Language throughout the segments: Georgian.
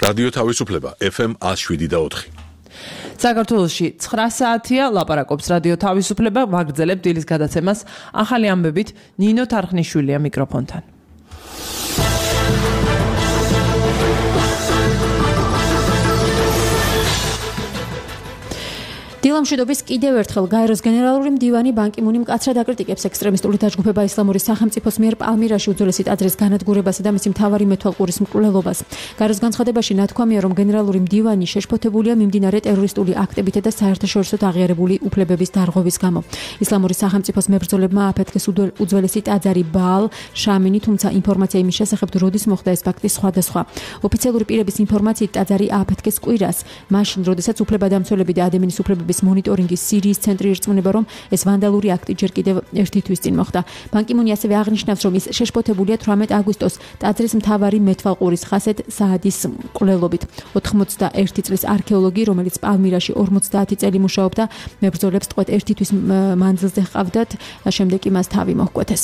რადიო თავისუფლება FM 107.4. საქართველოში 9 საათია, ლაპარაკობს რადიო თავისუფლება, ვაგრძელებთ დილის გადაცემას ახალი ამბებით ნინო თარხნიშვილია მიკროფონთან. დილამშვიდობის კიდევ ერთხელ გაეროს გენერალური მდივანი ბან კი მუნი მკაცრად აკრიტიკებს ექსტრემისტული დაჯგუფება ისლამური სახელმწიფოს მიერ პალმირაში უძველესი ტაძრის განადგურებასა და მისი მთავარი მეთვალყურის მკვლელობას. გაეროს განცხადებაში ნათქვამია, რომ გენერალური მდივანი შეშფოთებულია მიმდინარე ტერორისტული აქტებითა და საერთაშორისო აღიარებული უფლებების დარღვევის გამო. ისლამური სახელმწიფოს მებრძოლებმა აფეთქეს უძველესი ტაძარი ბაალ შამინი, თუმცა ინფორმაცია იმის შესახებ, როდის მოხდა ეს ფაქტი სხვადასხვა. ოფიციალური პირების ინფორმაციით ტაძარი აფეთქეს კვირას, მაშინ, როდესაც უფლებადამცველები და ადამიანის უფლებების მონიტორინგის სირიის ცენტრი ირწმუნება, რომ ეს ვანდალური აქტი ჯერ კიდევ ერთი თვის წინ მოხდა. ბან კი მუნი ასევე აღნიშნავს, რომ ის შეშფოთებულია 18 აგვისტოს ტაძრის მთავარი მეთვალყურის ხასედ საადის მკვლელობით. 91 წლის არქეოლოგი, რომელიც პალმირაში 50 წელი მუშაობდა, მებრძოლებს ტყვედ ერთი თვის მანძილზე ჰყავდათ, შემდეგ კი მას თავი მოჰკვეთეს.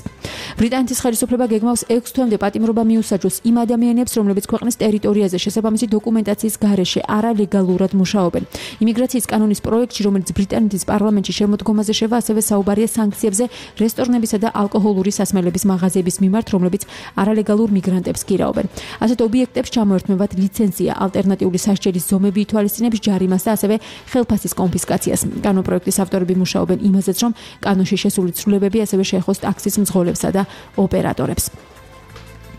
ბრიტანეთის ხელისუფლება გეგმავს 6 თვემდე პატიმრობა მიუსაჯოს იმ ადამიანებს, რომლებიც ქვეყნის ტერიტორიაზე შესაბამისი დოკუმენტაციის გარეშე არალეგალურად მუშაობენ. იმიგრაციის კანონის პროექტში, რომელიც ბრიტანეთის პარლამენტში შემოდგომაზე შევა, ასევე საუბარია სანქციებზე რესტორნებისა და ალკოჰოლური სასმელების მაღაზიების მიმართ, რომლებიც არალეგალურ მიგრანტებს გირაობენ. ასეთ ობიექტებს ჩამოერთმევათ ლიცენზია, ალტერნატიული სასჯელის ზომები ითვალისწინებს ჯარიმას და ასევე ხელფასის კონფისკაციას. კანონპროექტის ავტორები მუშაობენ იმაზეც, რომ კანონში შესული ცვლილებები ასევე შეეხოს ტაქსის მძღოლებსა და ოპერატორებს.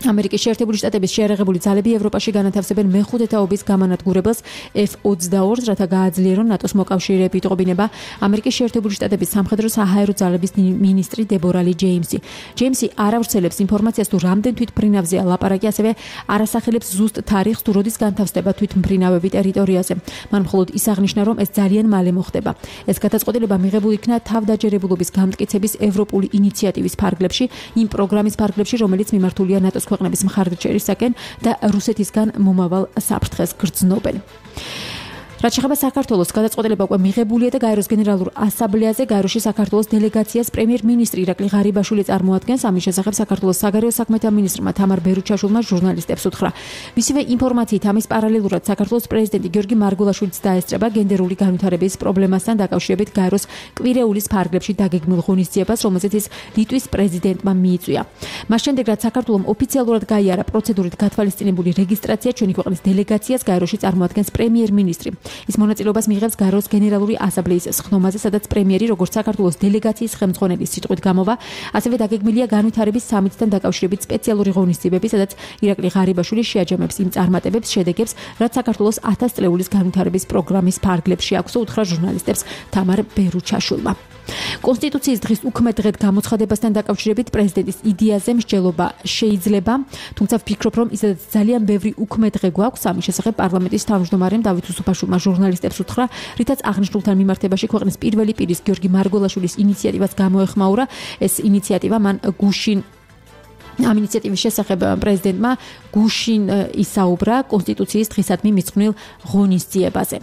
ამერიკის შეერთებული შტატების შეერაღებული ძალები ევროპაში განათავსებენ მეხუთე თაობის გამანადგურებელს F-22-ს, რათა გააძლიერონ ნატოს მოკავშირეები იტყობინება ამერიკის შეერთებული შტატების სამხედრო საჰაერო ძალების მინისტრი დებორა ლი ჯეიმსი. ჯეიმსი არ ავრცელებს ინფორმაციას, თუ რამდენ თვითმფრინავზეა ლაპარაკი, ასევე არ ასახელებს ზუსტ თარიღს, თუ როდის განთავსდება თვითმფრინავები ტერიტორიაზე. მან მხოლოდ ის აღნიშნა, რომ ეს ძალიან მალე მოხდება. ეს გადაწყვეტილება მიღებული იქნა თავდაჯერებულობის გამტკიცების ევროპული ინიციატივის ფარგლებში, იმ პროგრამის ფარგლებში, რომელიც მიმართულია ნატოს ქვეყნების მხარდაჭერისაკენ და რუსეთისგან მომავალ საფრთხეს გრძნობენ. რაც შეეხება საქართველოს, გადაწყვეტილება უკვე მიღებულია და გაეროს გენერალურ ასამბლეაზე გაეროში საქართველოს დელეგაციას პრემიერ-მინისტრი ირაკლი ღარიბაშვილი წარმოადგენს. ამის შესახებ საქართველოს საგარეო საქმეთა მინისტრმა თამარ ბერუჩაშვილმა ჟურნალისტებს უთხრა. მისივე ინფორმაციით, ამის პარალელურად საქართველოს პრეზიდენტი გიორგი მარგულაშვილიც დაესწრება გენდერული განვითარების პრობლემასთან დაკავშირებით გაეროს კვირეულის ფარგლებში დაგეგმილ ღონისძიებას, რომელზეც ის ლიტვის პრეზიდენტმა მიიწვია. მას შემდეგ, რაც საქართველოს ოფიციალურად გაიარა პროცედურით გათვალისწინებული რეგისტრაცია, ჩვენი ქვეყნის დელეგაციას გაეროში წარმოადგენს პრემიერ-მინისტრი. ის მონაწილეობას მიიღებს გაეროს გენერალური ასამბლეის სხდომაზე, სადაც პრემიერი, როგორც საქართველოს დელეგაციის ხელმძღვანელის სიტყვით გამოვა, ასევე დაგეგმილია განვითარების სამიტთან დაკავშირებით სპეციალური ღონისძიებები, სადაც ირაკლი ღარიბაშვილი შეაჯამებს იმ წარმატებებს, შედეგებს, რაც საქართველოს 1000 წლეულის განვითარების პროგრამის ფარგლებში აქვს, უთხრა ჟურნალისტებს თამარ ბერუჩაშვილმა. კონსტიტუციის დღის უქმედ დღედ გამოცხადებასთან დაკავშირებით პრეზიდენტის იდეაზე მსჯელობა შეიძლება, თუმცა ვფიქრობ, რომ ისედაც ძალიან ბევრი უქმედ დღე გვაქვს. ამის შესახებ პარლამენტის თავმჯდომარემ დავით უსუფაშვილმა ჟურნალისტებს უთხრა, რითაც აღნიშნულთან მიმართებაში ქვეყნის პირველი პირის გიორგი მარგულაშვილის ინიციატივას გამოეხმაურა. ეს ინიციატივა მან გუშინ ამ ინიციატივის შესახებ პრეზიდენტმა გუშინ ისაუბრა კონსტიტუციის დღისადმი მიძღვნილ ღონისძიებაზე.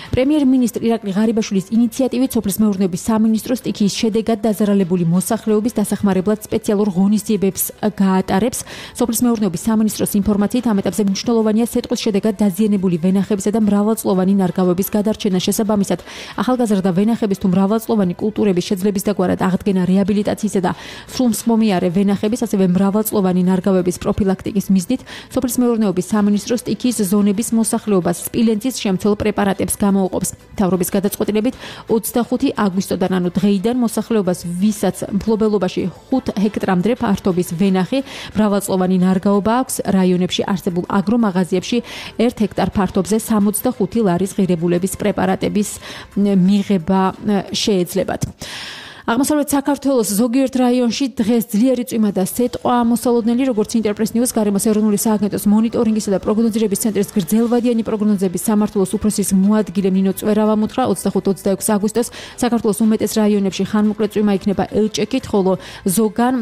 პრემიერ-მინისტრი ირაკლი ღარიბაშვილის ინიციატივით სოფლის მეურნეობის სამინისტრო სტიქიის შედეგად დაზარალებული მოსახლეობის დასახმარებლად სპეციალურ ღონისძიებებს გაატარებს. სოფლის მეურნეობის სამინისტროს ინფორმაციით, ამ ეტაპზე მნიშვნელოვანია სეტყვის შედეგად დაზიანებული ვენახებისა და მრავალწლოვანი ნარგავების გადარჩენა. შესაბამისად, ახალგაზრდა ვენახების თუ მრავალწლოვანი კულტურების შეძლებისდაგვარად აღდგენა რეაბილიტაციისა და სრულმსხმომიარე ვენახების, ასევე მრავალწლოვანი ნარგავების პროფილაქტიკის მიზნით, სოფლის მეურნეობის სამინისტრო სტიქიის ზონების მოსახლეობას სპილენძის შემცველ პრეპარატებს გამოუყოფს. მთავრობის გადაწყვეტილებით 25 აგვისტოდან, ანუ დღეიდან მოსახლეობას, ვისაც მფლობელობაში 5 ჰექტრამდე ფართობის ვენახი, მრავალწლოვანი ნარგაობა აქვს, რაიონებში არსებულ აგრომაღაზიებში 1 ჰექტარ ფართობზე 65 ლარის ღირებულების პრეპარატების მიღება შეეძლებათ. აღმოსავლეთ საქართველოს ზოგიერთ რაიონში დღეს ძლიერი წვიმა და სეტყვა მოსალოდნელი, როგორც ინტერპრეს ნიუს გარემოს ეროვნული სააგენტოს მონიტორინგისა და პროგნოზირების ცენტრის გრძელვადიანი პროგნოზების სამართლოს უფროსის მოადგილე ნინო წვერავამ უთხრა 25-26 აგვისტოს საქართველოს უმეტეს რაიონებში ხანმოკლე წვიმა იქნება ელჭექით, ხოლო ზოგან,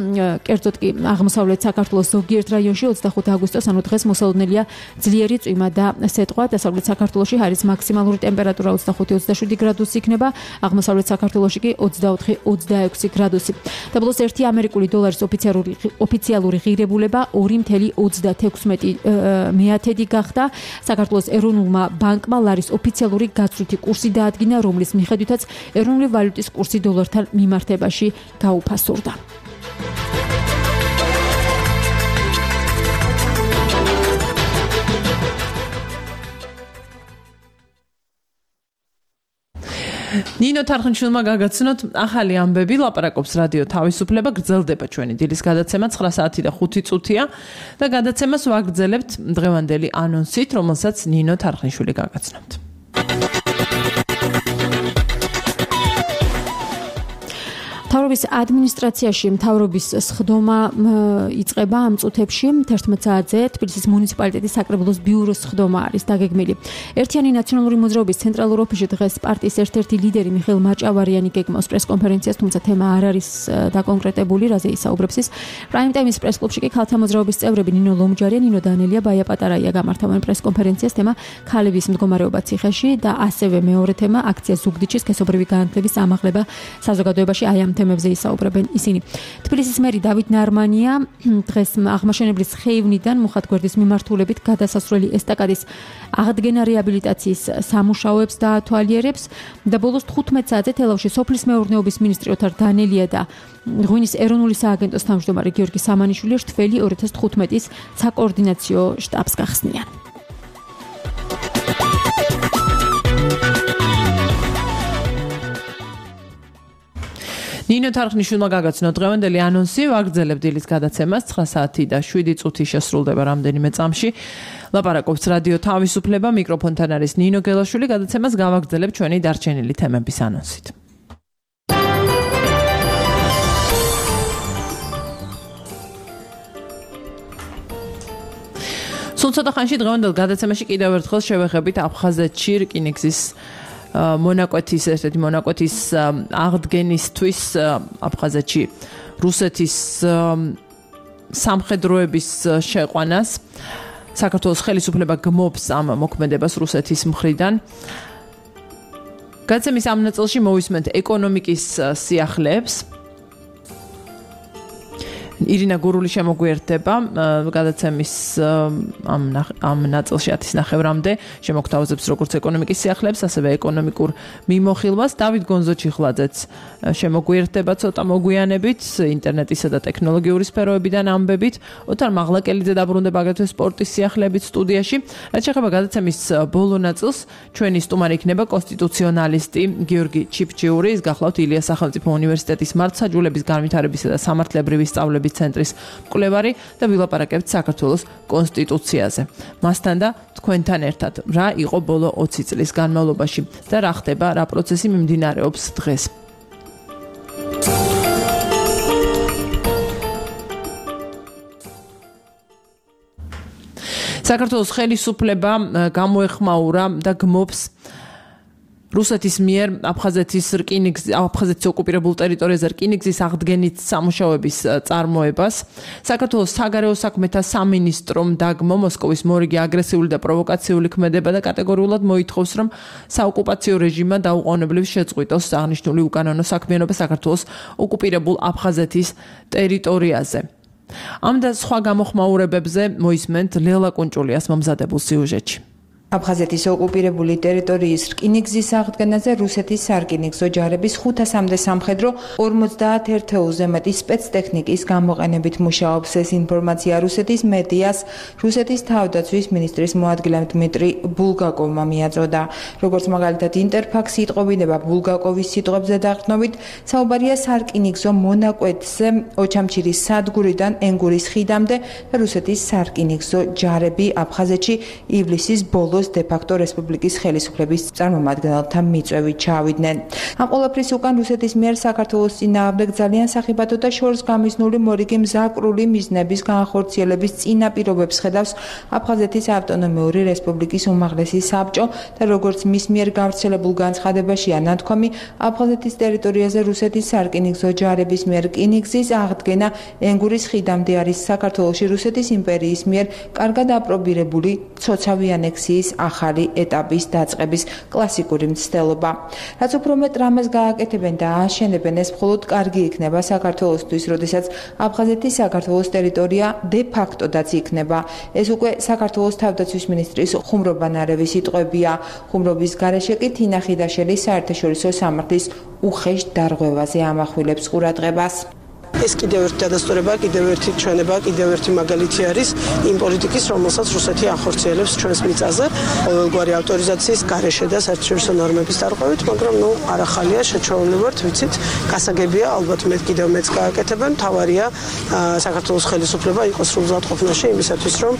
კერძოდ კი აღმოსავლეთ საქართველოს ზოგიერთ რაიონში 25 აგვისტოს, ანუ დღეს მოსალოდნელია ძლიერი წვიმა და სეტყვა. დასავლეთ საქართველოში ჰაერის მაქსიმალური ტემპერატურა 25-27 გრადუსი იქნება, აღმოსავლეთ საქართველოში კი 24 -26 გრადუსი. დაბლოს 1 ამერიკული დოლარის ოფიციალური ღირებულება 2.36 გახდა. საქართველოს ეროვნულმა ბანკმა ლარის ოფიციალური გაცვლითი კურსი დაადგინა, რომლის მიხედვითაც ეროვნული ვალუტის კურსი დოლართან მიმართებაში გაუფასურდა. ნინო თარხნიშვილმა გაგაცნოთ ახალი ამბები, ლაპარაკობს რადიო თავისუფლება, გრძელდება ჩვენი დილის გადაცემა 9 საათი და 5 წუთია და გადაცემას ვაგრძელებთ დღევანდელი ანონსით, რომელსაც ნინო თარხნიშვილი გაგაცნობთ. მთავრობის ადმინისტრაციაში მთავრობის სხდომა იწყება ამ წუთებში 11 საათზე თბილისის მუნიციპალიტეტის საკრებულოს ბიუროს სხდომა არის დაგეგმილი. ერთიანი ნაციონალური მოძრაობის ცენტრალურ ოფისში დღეს პარტიის ერთ-ერთი ლიდერი მიხეილ მაჭავარიანი გეგმავს პრესკონფერენციას, თუმცა თემა არ არის დაკონკრეტებული, რაზე ისაუბრებს ის. პრაიმ ტაიმის პრესკლუბში კი ქალთა მოძრაობის წევრები ნინო ლომჯარია, ნინო დანელია, ბაია პატარაია გამართავენ პრესკონფერენციას, თემა ქალების მდგომარეობა ციხეში და ასევე მეორე თემა აქცია ზუგდიდში სქესობრივი განათლების ამაღლება საზოგადოებაში. აი ამ თემებზე ისაუბრებენ ისინი. თბილისის მერი დავით ნარმანია დღეს აღმაშენებლის ხეივნიდან მუხათგვერდის მიმართულებით გადასასვლელი ესტაკადის აღდგენა რეაბილიტაციის სამუშაოებს დაათვალიერებს და ბოლოს 15 საათზე თელავში სოფლის მეურნეობის მინისტრი ოთარ დანელია და ღვინის ეროვნული სააგენტოს თავმჯდომარე გიორგი სამანიშვილი რთველი 2015-ის საკოორდინაციო შტაბს გახსნიან. ნინო თარხნიშვილმა გაგაცნო დღევანდელი ანონსი, ვაგრძელებთ დილის გადაცემას 9 საათი და 7 წუთი შესრულდება რამდენიმე წამში. ლაპარაკობს რადიო თავისუფლება, მიკროფონთან არის ნინო გელაშვილი, გადაცემას გავაგრძელებთ ჩვენი დარჩენილი თემების ანონსით. სულ ცოტა ხანში დღევანდელ გადაცემაში კიდევ ერთხელ შევეხებით აფხაზეთში რკინიგზის მონაკვეთის ერთ-ერთი მონაკვეთის აღდგენისთვის აფხაზეთში რუსეთის სამხედროების შეყვანას. საქართველოს ხელისუფლება გმობს ამ მოქმედებას რუსეთის მხრიდან. გადაცემის ამ ნაწილში მოვისმენთ ეკონომიკის სიახლეებს. ირინა გურული შემოგვიერთდება გადაცემის ამ ნაწილში 10:09-მდე შემოგთავაზებს როგორც ეკონომიკის სიახლეებს, ასევე ეკონომიკურ მიმოხილვას. დავით გონზოჩიხლაძეც შემოგვიერთდება ცოტა მოგვიანებით ინტერნეტისა და ტექნოლოგიური სფეროებიდან ამბებით. ოთარ მაღლაკელიძე დაბრუნდება აგრეთვე სპორტის სიახლეებით სტუდიაში. რაც შეეხება გადაცემის ბოლო ნაწილს, ჩვენი სტუმარი იქნება კონსტიტუციონალისტი გიორგი ჩიფჩიური, ის გახლავთ ილიას სახელმწიფო უნივერსიტეტის მართლმსაჯულების განვითარებისა და სამართლებრივი სწავლების ცენტრის მკვლევარი და ვილაპარაკებთ საქართველოს კონსტიტუციაზე. მასთან და თქვენთან ერთად რა იყო ბოლო 20 წლის განმავლობაში და რა ხდება, რა პროცესი მიმდინარეობს დღეს. საქართველოს ხელისუფლება გამოეხმაურა და გმობს რუსეთის მიერ აფხაზეთის ოკუპირებულ ტერიტორიაზე რკინიგზის აღდგენით სამუშაოების წარმოებას. საქართველოს საგარეო საქმეთა სამინისტრომ დაგმო მოსკოვის მორიგი აგრესიული და პროვოკაციული ქმედება და კატეგორიულად მოითხოვს, რომ საოკუპაციო რეჟიმმა დაუყოვნებლივ შეწყვიტოს აღნიშნული უკანონო საქმიანობა საქართველოს ოკუპირებულ აფხაზეთის ტერიტორიაზე. ამ და სხვა გამოხმაურებებზე მოისმენთ ლელა კუნჭულიას მომზადებულ სიუჟეტში. აფხაზეთის ოკუპირებული ტერიტორიის რკინიგზის აღდგენაზე რუსეთის სარკინიგზო ჯარების 500-მდე სამხედრო 51 ერთეულზე მეტი სპეცტექნიკის გამოყენებით მუშაობს. ეს ინფორმაცია რუსეთის მედიას რუსეთის თავდაცვის მინისტრის მოადგილემ დმიტრი ბულგაკოვმა მიაწოდა. როგორც მაგალითად ინტერფაქსი იტყობინება ბულგაკოვის სიტყვებზე დაყრდნობით, საუბარია სარკინიგზო მონაკვეთზე ოჩამჩირის სადგურიდან ენგურის ხიდამდე და რუსეთის სარკინიგზო ჯარები აფხაზეთში ივლისის ბოლოს დე-ფაქტო რესპუბლიკის ხელისუფლების წარმომადგენელთა მიწვევით ჩავიდნენ. ამ ყველაფრის უკან რუსეთის მიერ საქართველოს წინააღმდეგ ძალიან სახიფათო და შორს გამიზნული მორიგი მზაკრული მიზნების განხორციელების წინაპირობებს ხედავს აფხაზეთის ავტონომიური რესპუბლიკის უმაღლესი საბჭო და როგორც მის მიერ გავრცელებულ განცხადებაშია ნათქვამი, აფხაზეთის ტერიტორიაზე რუსეთის სარკინიგზო ჯარების მიერ რკინიგზის აღდგენა ენგურის ხიდამდე არის საქართველოში რუსეთის იმპერიის მიერ კარგად აპრობირებული ცოცავი ანექსიის რკინიგზის ახალი ეტაპის დაწყების კლასიკური მცდელობა. რაც უფრო მეტ რამეს გააკეთებენ და ააშენებენ, ეს მხოლოდ კარგი იქნება საქართველოსთვის, როდესაც აფხაზეთის საქართველოს ტერიტორია de facto-დაც იქნება. ეს უკვე საქართველოს თავდაცვის მინისტრის ხუმრობ ანარევის სიტყვებია. ხუმრობის გარეშე კი თინა ხიდაშელი საერთაშორისო სამართლის უხეშ დარღვევაზე ამახვილებს ყურადღებას. ეს კიდევ ერთი დადასტურება, კიდევ ერთი ჩვენება, კიდევ ერთი მაგალითი არის იმ პოლიტიკის, რომელსაც რუსეთი ახორციელებს ჩვენს მიწაზე, ყოველგვარი ავტორიზაციის გარეშე და საერთაშორისო ნორმების დარღვევით, მაგრამ არ ახალია, შეჩვეულები ვართ, ვიცით, გასაგებია, ალბათ მე კიდევ მეც გააკეთებენ, თავარია საქართველოს ხელისუფლება იყოს სრულზადყოფნაში იმისათვის, რომ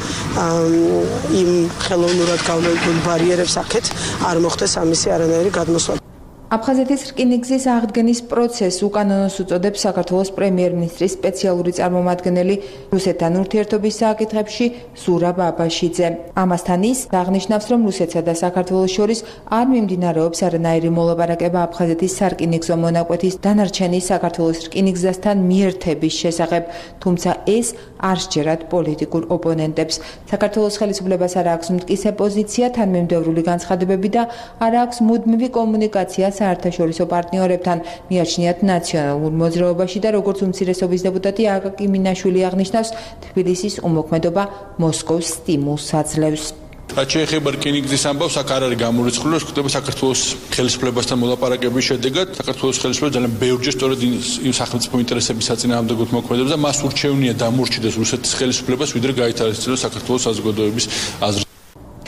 იმ ხელოვნურად გამოიგულ ბარიერებს აქეთ არ მოხდეს ამისი არანაირი გადმოსვლა. აფხაზეთის რკინიგზის აღდგენის პროცესს უკანონოს უწოდებს საქართველოს პრემიერ-მინისტრის სპეციალური წარმომადგენელი რუსეთთან ურთიერთობის საკითხებში ზურაბ აბაშიძე. ამასთან ის აღნიშნავს, რომ რუსეთსა და საქართველოს შორის არ მიმდინარეობს არანაირი მოლაპარაკება აფხაზეთის სარკინიგზო მონაკვეთის დანარჩენი საქართველოს რკინიგზასთან მიერთების შესახებ, თუმცა ეს არ სჯერათ პოლიტიკურ ოპონენტებს. საქართველოს ხელისუფლებას არ აქვს მტკიცე პოზიცია, თანმიმდევრული განცხადებები და არ აქვს მუდმივი კომუნიკაცია საერთაშორისო პარტნიორებთან, მიაჩნიათ ნაციონალურ მოძრაობაში და როგორც უმცირესობის დეპუტატი აკაკი მინაშვილი აღნიშნავს, თბილისის უმოქმედობა მოსკოვს სტიმულს აძლევს. რაც შეეხება რკინიგზის ამბავს, აქ არ არის გამორიცხული, რომ ხდება საქართველოს ხელისუფლებასთან მოლაპარაკების შედეგად საქართველოს ხელისუფლება ძალიან ბევრჯერ სწორედ იმ სახელმწიფო ინტერესების საწინააღმდეგოდ მოქმედებს და მას ურჩევნია დამორჩილდეს რუსეთის ხელისუფლებას, ვიდრე გაითვალისწინოს საქართველოს საზოგადოების აზრი.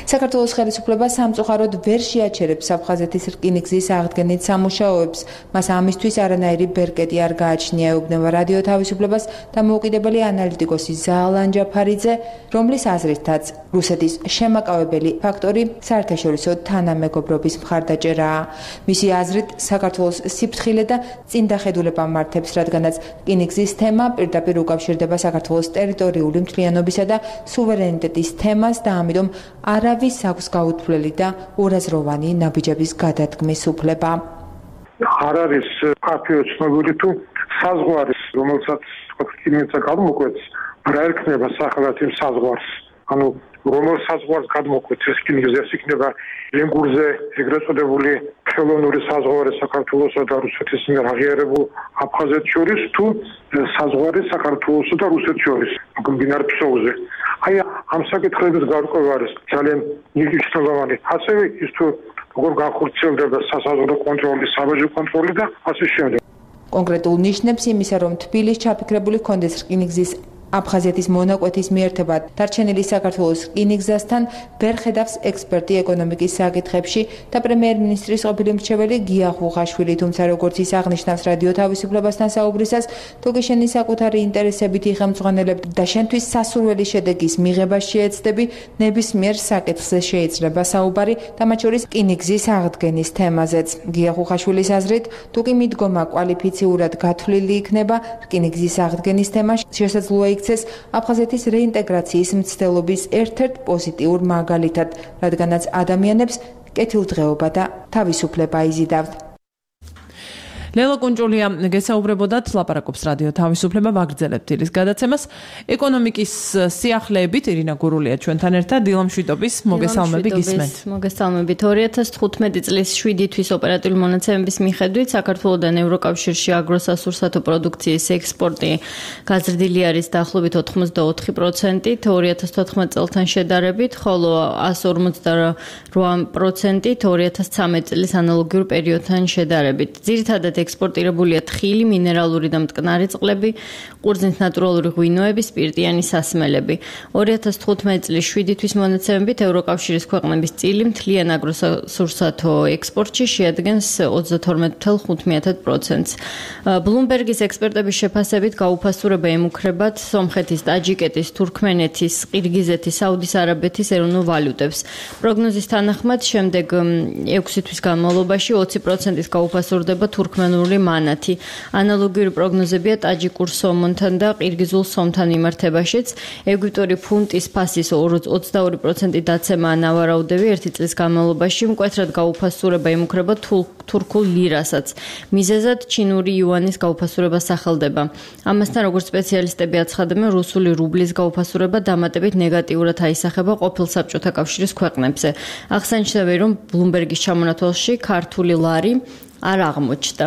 საქართველოს ხელისუფლება სამწუხაროდ ვერ შეაჩერებს აფხაზეთის რკინიგზის აღდგენით სამუშაოებს. მას ამისთვის არანაირი ბერკეტი არ გააჩნია, ეუბნება რადიო თავისუფლებას დამოუკიდებელი ანალიტიკოსი ზაალან ჯაფარიძე, რომლის აზრითაც რუსეთის შემაკავებელი ფაქტორი საერთაშორისო თანამეგობრობის მხარდაჭერაა. მისი აზრით, საქართველოს სიფრთხილე და წინდახედულება მართებს, რადგანაც რკინიგზის თემა პირდაპირ უკავშირდება საქართველოს ტერიტორიული მთლიანობისა და სუვერენიტეტის თემას და ამიტომ არავის აქვს გაუთვლელი და ორაზროვანი ნაბიჯების გადადგმის უფლება. არ არის ფაქტიო ცნობილი თუ საზღვარი, რომელსაც რკინიგზა გადმოკვეთს, რა ერქმება სახელად იმ საზღვარს. ანუ რომელ საზღვარს გადმოკვეთს ეს რკინიგზა, ეს იქნება ლენგურზე ეგრეთ წოდებული ხელოვნური საზღვარი საქართველოსა და რუსეთის მიერ აღიარებულ აფხაზეთს შორის თუ საზღვარი საქართველოსა და რუსეთს შორის მდინარე ფსოუზე. აი ამ საკითხების გარკვევა არის ძალიან მნიშვნელოვანი. ასევე ის თუ როგორ განხორციელდება სასაზღვრო კონტროლი, საბაჟო კონტროლი და ასე შემდეგ. კონკრეტულ ნიშნებს იმისა, რომ თბილისში ჩაფიქრებული ჰქონდეს რკინიგზის აფხაზეთის მონაკვეთის მიერთება დარჩენილი საქართველოს რკინიგზასთან ვერ ხედავს ექსპერტი ეკონომიკის საკითხებში და პრემიერ-მინისტრის ყოფილი მრჩეველი გია ხუხაშვილი, თუმცა როგორც ის აღნიშნავს რადიო თავისუფლებასთან საუბრისას, თუ კი შენი საკუთარი ინტერესებით იხელმძღვანელებ და შენთვის სასურველი შედეგის მიღება შეეცდები, ნებისმიერ საკითხზე შეიძლება საუბარი და მათ შორის რკინიგზის აღდგენის თემაზეც. გია ხუხაშვილის აზრით, თუ კი მიდგომა კვალიფიციურად გათვლილი იქნება რკინიგზის აღდგენის თემა, შესაძლოა იქცეს აფხაზეთის რეინტეგრაციის მცდელობის ერთ-ერთ პოზიტიურ მაგალითად, რადგანაც ადამიანებს კეთილდღეობა და თავისუფლება იზიდავთ. ლელა კუნჭულია გესაუბრებოდათ, ლაპარაკობს რადიო თავისუფლება, ვაგრძელებთ დილის გადაცემას. ეკონომიკის სიახლეებით ირინა გურულია ჩვენთან ერთად, დილამშვიდობის, მოგესალმებით გისმენთ. მოგესალმებით. 2015 წლის 7 თვის ოპერატიული მონაცემების მიხედვით საქართველოდან ევროკავშირში აგროსასურსათო პროდუქციის ექსპორტი გაზრდილი არის დაახლოებით 84%, 2014 წელთან შედარებით, ხოლო 158% 2013 წლის ანალოგიურ პერიოდთან შედარებით. ძირითადად ექსპორტირებულია თხილი, მინერალური და მტკნარი წყლები, ყურძნის ნატურალური ღვინოები, სპირტიანი სასმელები. 2015 წლის 7 თვის მონაცემებით ევროკავშირის ქვეყნების წილი მთლიან აგროსასურსათო ექსპორტში შეადგენს 32.5%. ბლუმბერგის ექსპერტების შეფასებით გაუფასურება ემუქრებათ სომხეთის, ტაჯიკეთის, თურქმენეთის, ყირგიზეთის, საუდის არაბეთის ეროვნულ ვალუტებს. პროგნოზის თანახმად შემდეგ 6 თვის განმავლობაში 20%-ის გაუფასურდება თურქმენულ გერმანული მანათი. ანალოგიური პროგნოზებია ტაჯიკურ სომონთან და ყირგიზულ სომთან მიმართებაშიც. ეგვიპტური ფუნტის ფასის 22% დაცემაა ნავარაუდები ერთი წლის განმავლობაში, მკვეთრად გაუფასურება იმუქრება თურქულ ლირასაც. მიზეზად ჩინური იუანის გაუფასურება სახელდება. ამასთან, როგორც სპეციალისტები აცხადებენ, რუსული რუბლის გაუფასურება დამატებით ნეგატიურად აისახება ყოფილ საბჭოთა კავშირის ქვეყნებზე. აღსანიშნავია, რომ ბლუმბერგის ჩამონათვალში ქართული ლარი არ აღმოჩნდა.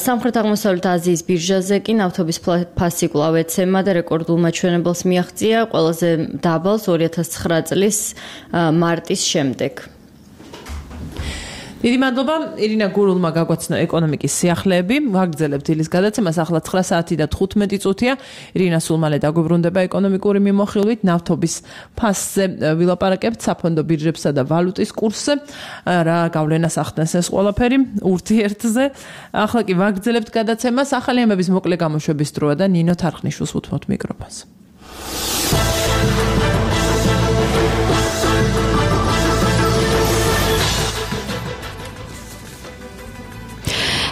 სამხრეთ-აღმოსავლეთ აზიის ბირჟაზე კი ნავთობის ფასი კვლავ ეცემა და რეკორდულ მაჩვენებელს მიაღწია ყველაზე დაბალს 2009 წლის მარტის შემდეგ. დიდი მადლობა ირინა გურულმა გაგვაცნო ეკონომიკის სიახლეები. ვაგრძელებთ დილის გადაცემას ახლა 9 საათი და 15 წუთია. ირინა სულ მალე დაგვიბრუნდება ეკონომიკური მიმოხილვით ნავთობის ფასზე ვილაპარაკებთ საფონდო ბირჟებსა და ვალუტის კურსზე. რა გავლენას ახდენს ეს ყველაფერი ურთიერთზე. ახლა კი ვაგრძელებთ გადაცემას ახალი ამების მოკლე გამოშვების დროა და ნინო თარხნიშვილს უთმობთ მიკროფონს.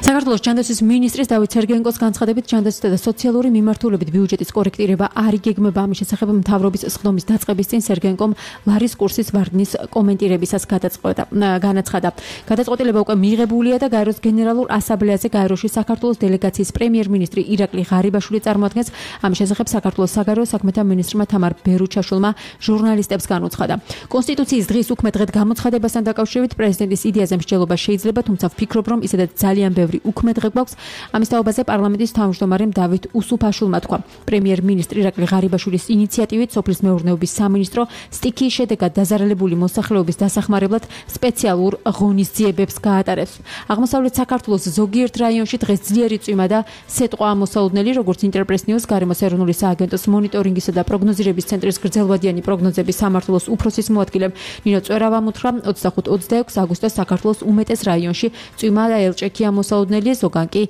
საქართველოს ჯანდაცვის მინისტრის დავით სერგენკოს განცხადებით ჯანდაცვითა და სოციალური მიმართულებით ბიუჯეტის კორექტირება არ იგეგმება. ამის შესახებ მთავრობის სხდომის დაწყების წინ სერგენკომ ლარის კურსის ვარდნის კომენტირებისას განაცხადა. გადაწყვეტილება უკვე მიღებულია და გაეროს გენერალურ ასამბლეაზე გაეროში საქართველოს დელეგაციის პრემიერ-მინისტრი ირაკლი ღარიბაშვილი წარმოადგენს. ამის შესახებ საქართველოს საგარეო საქმეთა მინისტრმა თამარ ბერუჩაშვილმა ჟურნალისტებს განუცხადა. კონსტიტუციის დღის უქმე დღედ გამოცხადებასთან დაკავშირებით პრეზიდენტის იდეაზე მსჯელობა შეიძლება, თუმცა ვფიქრობ, რომ ისედაც ძალიან ბევრი უქმე დღე გვაქვს. ამის თაობაზე პარლამენტის თავმჯდომარემ დავით უსუფაშვილმა თქვა. პრემიერ-მინისტრი ირაკლი ღარიბაშვილის ინიციატივით სოფლის მეურნეობის სამინისტრო სტიქიის შედეგად დაზარალებული მოსახლეობის დასახმარებლად სპეციალურ ღონისძიებებს გაატარებს. აღმოსავლეთ საქართველოს ზოგიერთ რაიონში დღეს ძლიერი წვიმა და სეტყვა ამოსაუდნელი, როგორც ინტერპრეს ნიუს გარემოს ეროვნული სააგენტოს მონიტორინგისა და პროგნოზირების ცენტრის გრძელვადიანი პროგნოზების სამმართველოს უფროსის მოადგილემ ნინო წერავამ უთხრა 25-26 აგვისტოს საქართველოს უმეტეს რაიონში წვიმა და ელჭექი ამოსაუდნელი ზოგან კი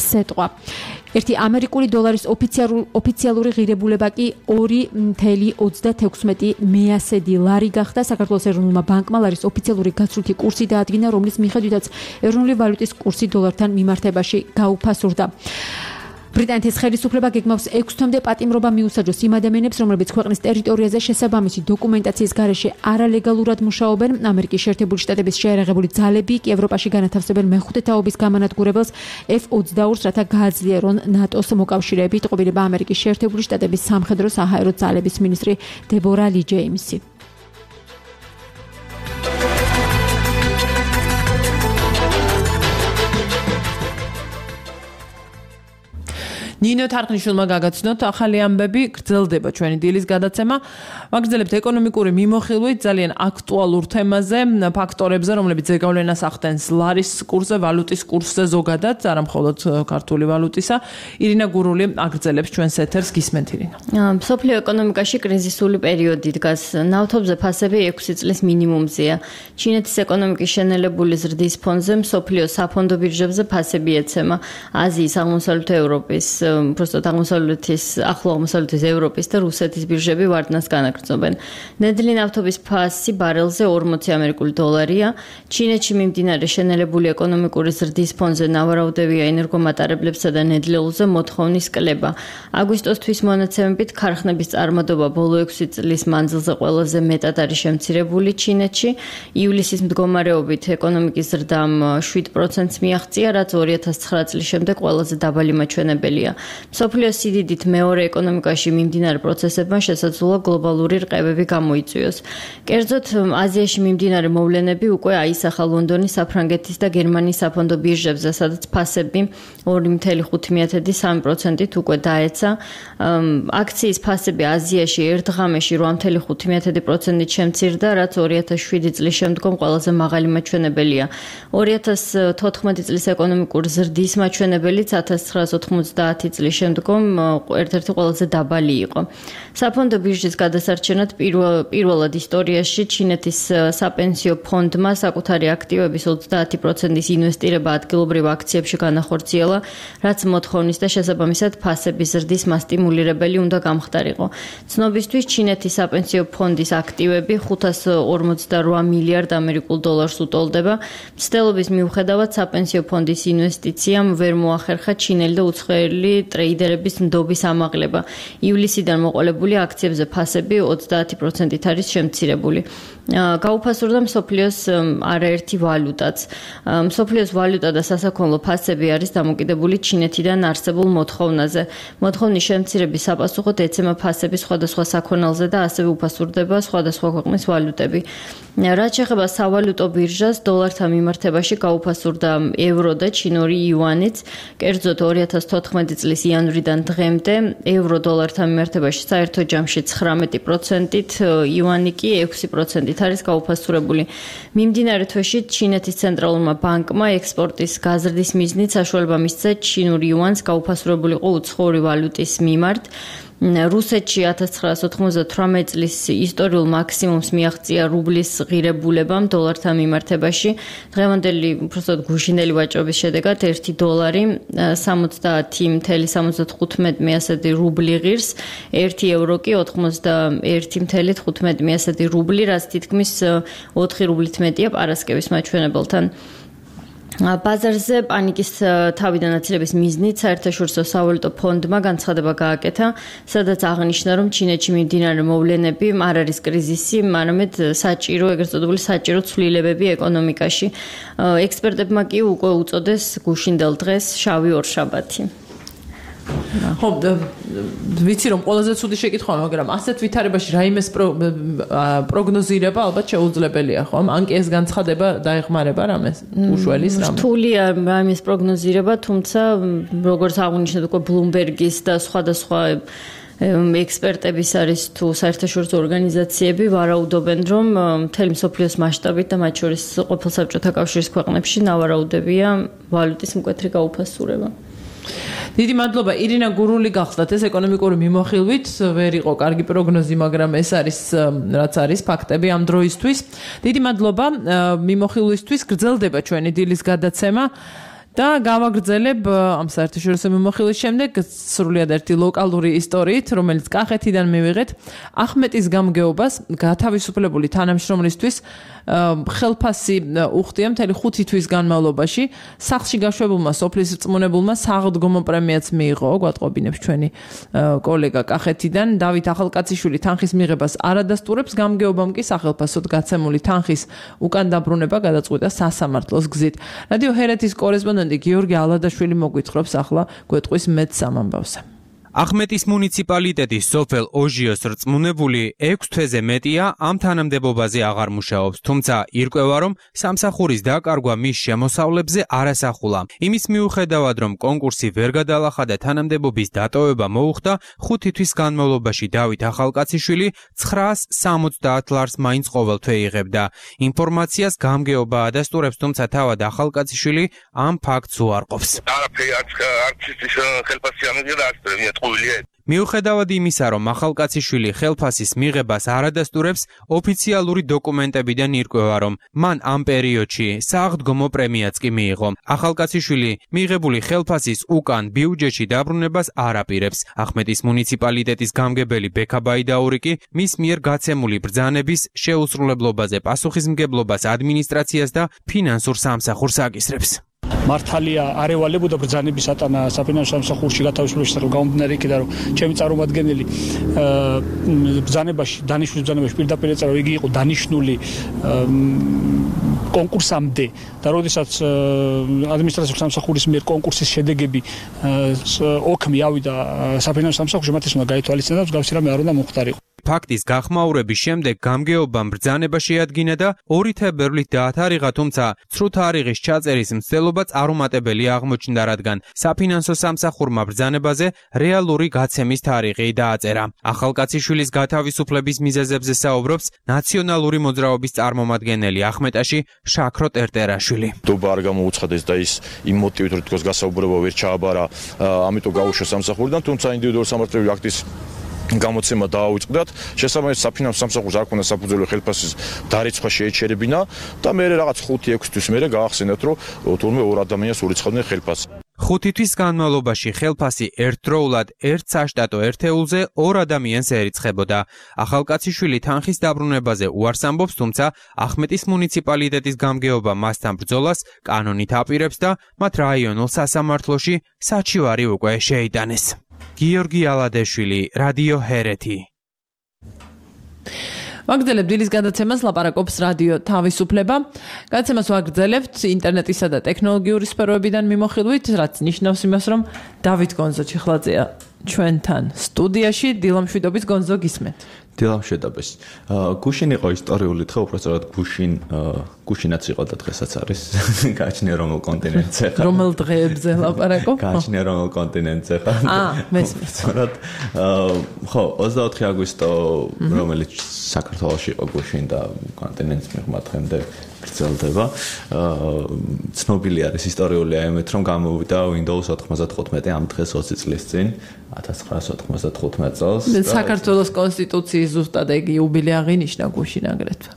სეტყვა. ერთი ამერიკული დოლარის ოფიციალური ღირებულება კი 2.36 მეასედი ლარი გახდა. საქართველოს ეროვნულმა ბანკმა ლარის ოფიციალური გაცვლითი კურსი დაადგინა, რომლის მიხედვითაც ეროვნული ვალუტის კურსი დოლართან მიმართებაში გაუფასურდა. ბრიტანეთის ხელისუფლება გეგმავს 6 თვემდე პატიმრობა მიუსაჯოს იმ ადამიანებს, რომლებიც ქვეყნის ტერიტორიაზე შესაბამისი დოკუმენტაციის გარეშე არალეგალურად მუშაობენ. ამერიკის შეერთებული შტატების შეერაღებული ძალები კი ევროპაში განათავსებენ მეხუთე თაობის გამანადგურებელს F-22-ს, რათა გააძლიერონ ნატოს მოკავშირეები. ტყუილება ამერიკის შეერთებული შტატების სამხედრო საჰაერო ძალების მინისტრი დებორა ალი ჯეიმსი. ნინო თარხნიშვილმა გაგაცნოთ ახალი ამბები, გრძელდება ჩვენი დილის გადაცემა. ვაგრძელებთ ეკონომიკური მიმოხილვით ძალიან აქტუალურ თემაზე, ფაქტორებზე, რომლებიც ზეგავლენას ახდენს ლარის კურსზე, ვალუტის კურსზე ზოგადად, არა მხოლოდ ქართული ვალუტისა. ირინა გურული აგრძელებს ჩვენს ეთერს, გისმენთ ირინა. მსოფლიო ეკონომიკაში კრიზისული პერიოდი დგას. ნავთობზე ფასები 6 წლის მინიმუმზეა. ჩინეთის ეკონომიკის შენელებული ზრდის ფონზე მსოფლიო საფონდო ბირჟებზე ფასები ეცემა. აზიის, აღმოსავლეთ ევროპის უბრალოდ ახლო აღმოსავლეთის ევროპის და რუსეთის ბირჟები ვარდნას განაგრძობენ. ნედლი ნავთობის ფასი ბარელზე 40 ამერიკული დოლარია. ჩინეთში მიმდინარე შენელებული ეკონომიკური ზრდის ფონზე ნავარაუდებია ენერგომატარებლებსა და ნედლეულზე მოთხოვნის კლება. აგვისტოსთვის მონაცემებით ქარხნების წარმოდობა ბოლო 6 წლის მანძილზე ყველაზე მეტად არის შემცირებული ჩინეთში. ივლისის მდგომარეობით ეკონომიკის ზრდამ 7%-ს მიაღწია, რაც 2009 წლის შემდეგ ყველაზე დაბალი მაჩვენებელია. მსოფლიოს სიდიდით მეორე ეკონომიკაში მიმდინარე პროცესებმა შესაძლოა გლობალური რყევები გამოიწვიოს. კერძოდ, აზიაში მიმდინარე მოვლენები უკვე აისახა ლონდონის, საფრანგეთის და გერმანიის საფონდო ბირჟებზე, სადაც ფასები 2.5-3%-ით უკვე დაეცა. აქციის ფასები აზიაში ერთ ღამეში 8.5%-ით შემცირდა, რაც 2007 წლის შემდგომ ყველაზე მაღალი მაჩვენებელია. 2014 წლის ეკონომიკური ზრდის მაჩვენებელიც 1990 წლის შემდგომ ერთ-ერთი ყველაზე დაბალი იყო. საფონდო ბირჟის გადასარჩენად პირველად ისტორიაში ჩინეთის საპენსიო ფონდმა საკუთარი აქტივების 30%-ის ინვესტირება ადგილობრივ აქციებში განახორციელა, რაც მოთხოვნის და შესაბამისად ფასების ზრდის მასტიმულირებელი უნდა გამხდარიყო. ცნობისთვის ჩინეთის საპენსიო ფონდის აქტივები 548 მილიარდ ამერიკულ დოლარს უტოლდება. მცდელობის მიუხედავად საპენსიო ფონდის ინვესტიციამ ვერ მოახერხა ჩინელი და უცხოელი ტრეიდერების ნდობის ამაღლება. ივლისიდან მოყოლებული აქციებზე ფასები 30%-ით არის შემცირებული. გაუფასურდა მსოფლიოს არაერთი ვალუტაც. მსოფლიოს ვალუტა და სასაქონლო ფასები არის დამოკიდებული ჩინეთიდან არსებულ მოთხოვნაზე. მოთხოვნის შემცირების საპასუხოდ ეცემა ფასები სხვადასხვა საქონელზე და ასევე უფასურდება სხვადასხვა ქვეყნის ვალუტები. რაც შეეხება სავალუტო ბირჟას, დოლართან მიმართებაში გაუფასურდა ევრო და ჩინური იუანიც. კერძოდ 2014 წლის იანვრიდან დღემდე ევრო დოლართან მიმართებაში საერთო ჯამში 19%-ით, იუანი კი 6%-ით არის გაუფასურებული. მიმდინარე თვეში ჩინეთის ცენტრალურმა ბანკმა ექსპორტის გაზრდის მიზნით საშუალება მისცა ჩინური იუანს გაუფასურებულიყო უცხოური ვალუტის მიმართ. რუსეთში 1998 წლის ისტორიულ მაქსიმუმს მიაღწია რუბლის ღირებულებამ დოლართან მიმართებაში. დღევანდელი უბრალოდ გუშინდელი ვაჭრობის შედეგად $1.70.75 რუბლი ღირს, 1 ევრო კი 91.15 რუბლი, რაც თითქმის 4 რუბლით მეტია პარასკევის მაჩვენებელთან. ბაზარზე პანიკის თავიდან აცილების მიზნით საერთაშორისო სავალუტო ფონდმა განცხადება გააკეთა, სადაც აღნიშნა, რომ ჩინეთში მიმდინარე მოვლენები არ არის კრიზისი, არამედ საჭირო, ეგრეთ წოდებული საჭირო ცვლილებები ეკონომიკაში. ექსპერტებმა კი უკვე უწოდეს გუშინდელ დღეს შავი ორშაბათი. ხო, ვიცი რომ ყველაზე ცუდი შეკითხვაა, მაგრამ ასეთ ვითარებაში რაიმეს პროგნოზირება ალბათ შეუძლებელია, ხო? ან კი ეს განცხადება დაეხმარება რამეს? უშველის რამე? რთულია რაიმეს პროგნოზირება, თუმცა როგორც აღნიშნეთ უკვე Bloomberg-ის და სხვადასხვა ექსპერტების არის თუ საერთაშორისო ორგანიზაციები ვარაუდობენ, რომ მთელი მსოფლიოს მასშტაბით და მათ შორის ყოფილ საბჭოთა კავშირის ქვეყნებში ნავარაუდებია ვალუტის მკვეთრი გაუფასურება. დიდი მადლობა ირინა გურული გახსნათ ეს ეკონომიკური მიმოხილვით ვერ იყო კარგი პროგნოზი, მაგრამ ეს არის რაც არის ფაქტები ამ დროისთვის. დიდი მადლობა მიმოხილვისთვის, გრძელდება ჩვენი დილის გადაცემა და გავაგრძელებ ამ საერთაშორისო მიმოხილვის შემდეგ სრულიად ერთი ლოკალური ისტორიით, რომელიც კახეთიდან მივიღეთ. ახმეტის გამგეობას გათავისუფლებული თანამშრომლისთვის ხელფასი უხდია მთელი 5 თვის განმავლობაში. სახლში გაშვებულმა სოფლის რწმუნებულმა საღდგომო პრემიაც მიიღო, გვატყობინებს ჩვენი კოლეგა კახეთიდან. დავით ახალკაციშვილი თანხის მიღებას არ ადასტურებს, გამგეობამ კი სახელფასოდ გაცემული თანხის უკან დაბრუნება გადაწყვიტა სასამართლოს გზით. რადიო ჰერეთის კორესპონდენტი გიორგი ალადაშვილი მოგვითხრობს ახლა გვეტყვის მეცამ ამბავზე. ახმეტის მუნიციპალიტეტის სოფელ ოჟიოს რწმუნებული 6 თვეზე მეტია ამ თანამდებობაზე აღარ მუშაობს, თუმცა ირკვევა, რომ სამსახურის დაკარგვა მის შემოსავლებზე არ ასახულა. იმის მიუხედავად, რომ კონკურსი ვერ გადალახა და თანამდებობის დატოვება მოუხდა, 5 თვის განმავლობაში დავით ახალკაციშვილი 970 ლარს მაინც ყოველთვე იღებდა. ინფორმაციას გამგეობა ადასტურებს, თუმცა თავად ახალკაციშვილი ამ ფაქტს უარყოფს. მიუხედავად იმისა, რომ ახალკაციშვილი ხელფასის მიღებას არ ადასტურებს, ოფიციალური დოკუმენტებიდან ირკვევა, რომ მან ამ პერიოდში საღდგომო პრემიაც კი მიიღო. ახალკაციშვილი მიღებული ხელფასის უკან ბიუჯეტში დაბრუნებას არ აპირებს. ახმეტის მუნიციპალიტეტის გამგებელი ბექა ბაიდაური კი მის მიერ გაცემული ბრძანების შეუსრულებლობაზე პასუხისმგებლობას ადმინისტრაციას და ფინანსურ სამსახურს აკისრებს. მართალია არ ევალებოდა ბრძანების ატანა საფინანსო სამსახურში გათავისუფლების შესახებ გამომდინარე იქიდან, რომ ჩემი წარმომადგენელი ბრძანებაში, დანიშნულ ბრძანებაში პირდაპირ ეწერა, იგი იყო დანიშნული კონკურსამდე და როდესაც ადმინისტრაციული სამსახურის მიერ კონკურსის შედეგები ოქმი ავიდა საფინანსო სამსახურში, მათ ეს უნდა გაითვალისწინოს და მსგავსი რამე არ უნდა მოხდარიყო. ფაქტის გახმაურების შემდეგ გამგეობამ ბრძანება შეადგინა და 2 თებერვლით დაათარიღა, თუმცა ცრუ თარიღის ჩაწერის მცდელობა წარუმატებელი აღმოჩნდა, რადგან საფინანსო სამსახურმა ბრძანებაზე რეალური გაცემის თარიღი დააწერა. ახალკაციშვილის გათავისუფლების მიზეზებზე საუბრობს ნაციონალური მოძრაობის წარმომადგენელი ახმეტაში შაქრო ტერტერაშვილი. დობა არ გამოუცხადეს და ის იმ მოტივით რომ თქოს გასაუბრება ვერ ჩააბარა, ამიტომ გაუშვა სამსახურიდან, თუმცა ინდივიდუალური სამართლებრივი აქტის გამოცემა დააუწყდათ. შესაბამისად საფინანსო სამსახურს არ ქონდა საფუძველი ხელფასის დარიცხვა შეეჩერებინა და მე რაღაც 5-6 თვის მერე გაახსენათ, რომ თურმე ორ ადამიანს ურიცხავდნენ ხელფასს. 5 თვის განმავლობაში ხელფასი ერთდროულად ერთ საშტატო ერთეულზე 2 ადამიანს ერიცხებოდა. ახალკაციშვილი თანხის დაბრუნებაზე უარს ამბობს, თუმცა ახმეტის მუნიციპალიტეტის გამგეობა მასთან ბრძოლას კანონით აპირებს და მათ რაიონულ სასამართლოში საჩივარი უკვე შეიტანეს. გიორგი ალადეშვილი, რადიო ჰერეთი. ვაგრძელებთ დილის გადაცემას, ლაპარაკობს რადიო თავისუფლება. გადაცემას ვაგრძელებთ ინტერნეტისა და ტექნოლოგიური სფეროებიდან მიმოხილვით, რაც ნიშნავს იმას, რომ დავით გონზო ჩიხლაძეა ჩვენთან სტუდიაში. დილამშვიდობის გონზო, გისმენთ. დილამშვიდობის. გუშინ იყო ისტორიული დღე, უბრალოდ გუშინაც იყო და დღესაც არის. გააჩნია რომელ კონტინენტზე ხარ? რომელ დღეებზე ლაპარაკობ? გააჩნია რომელ კონტინენტზე ხარ? მესმის. ხო, 24 აგვისტო, რომელიც საქართველოში იყო გუშინ და კონტინენტს მიღმა დღემდე გრძელდება. ცნობილი არის ისტორიული აიმეთ, რომ გამოვიდა Windows 95 ამ დღეს 20 წლის წინ, 1995 წელს. საქართველოს კონსტიტუციის ზუსტად ეგ იუბილე აღინიშნა გუშინ აგრეთვე.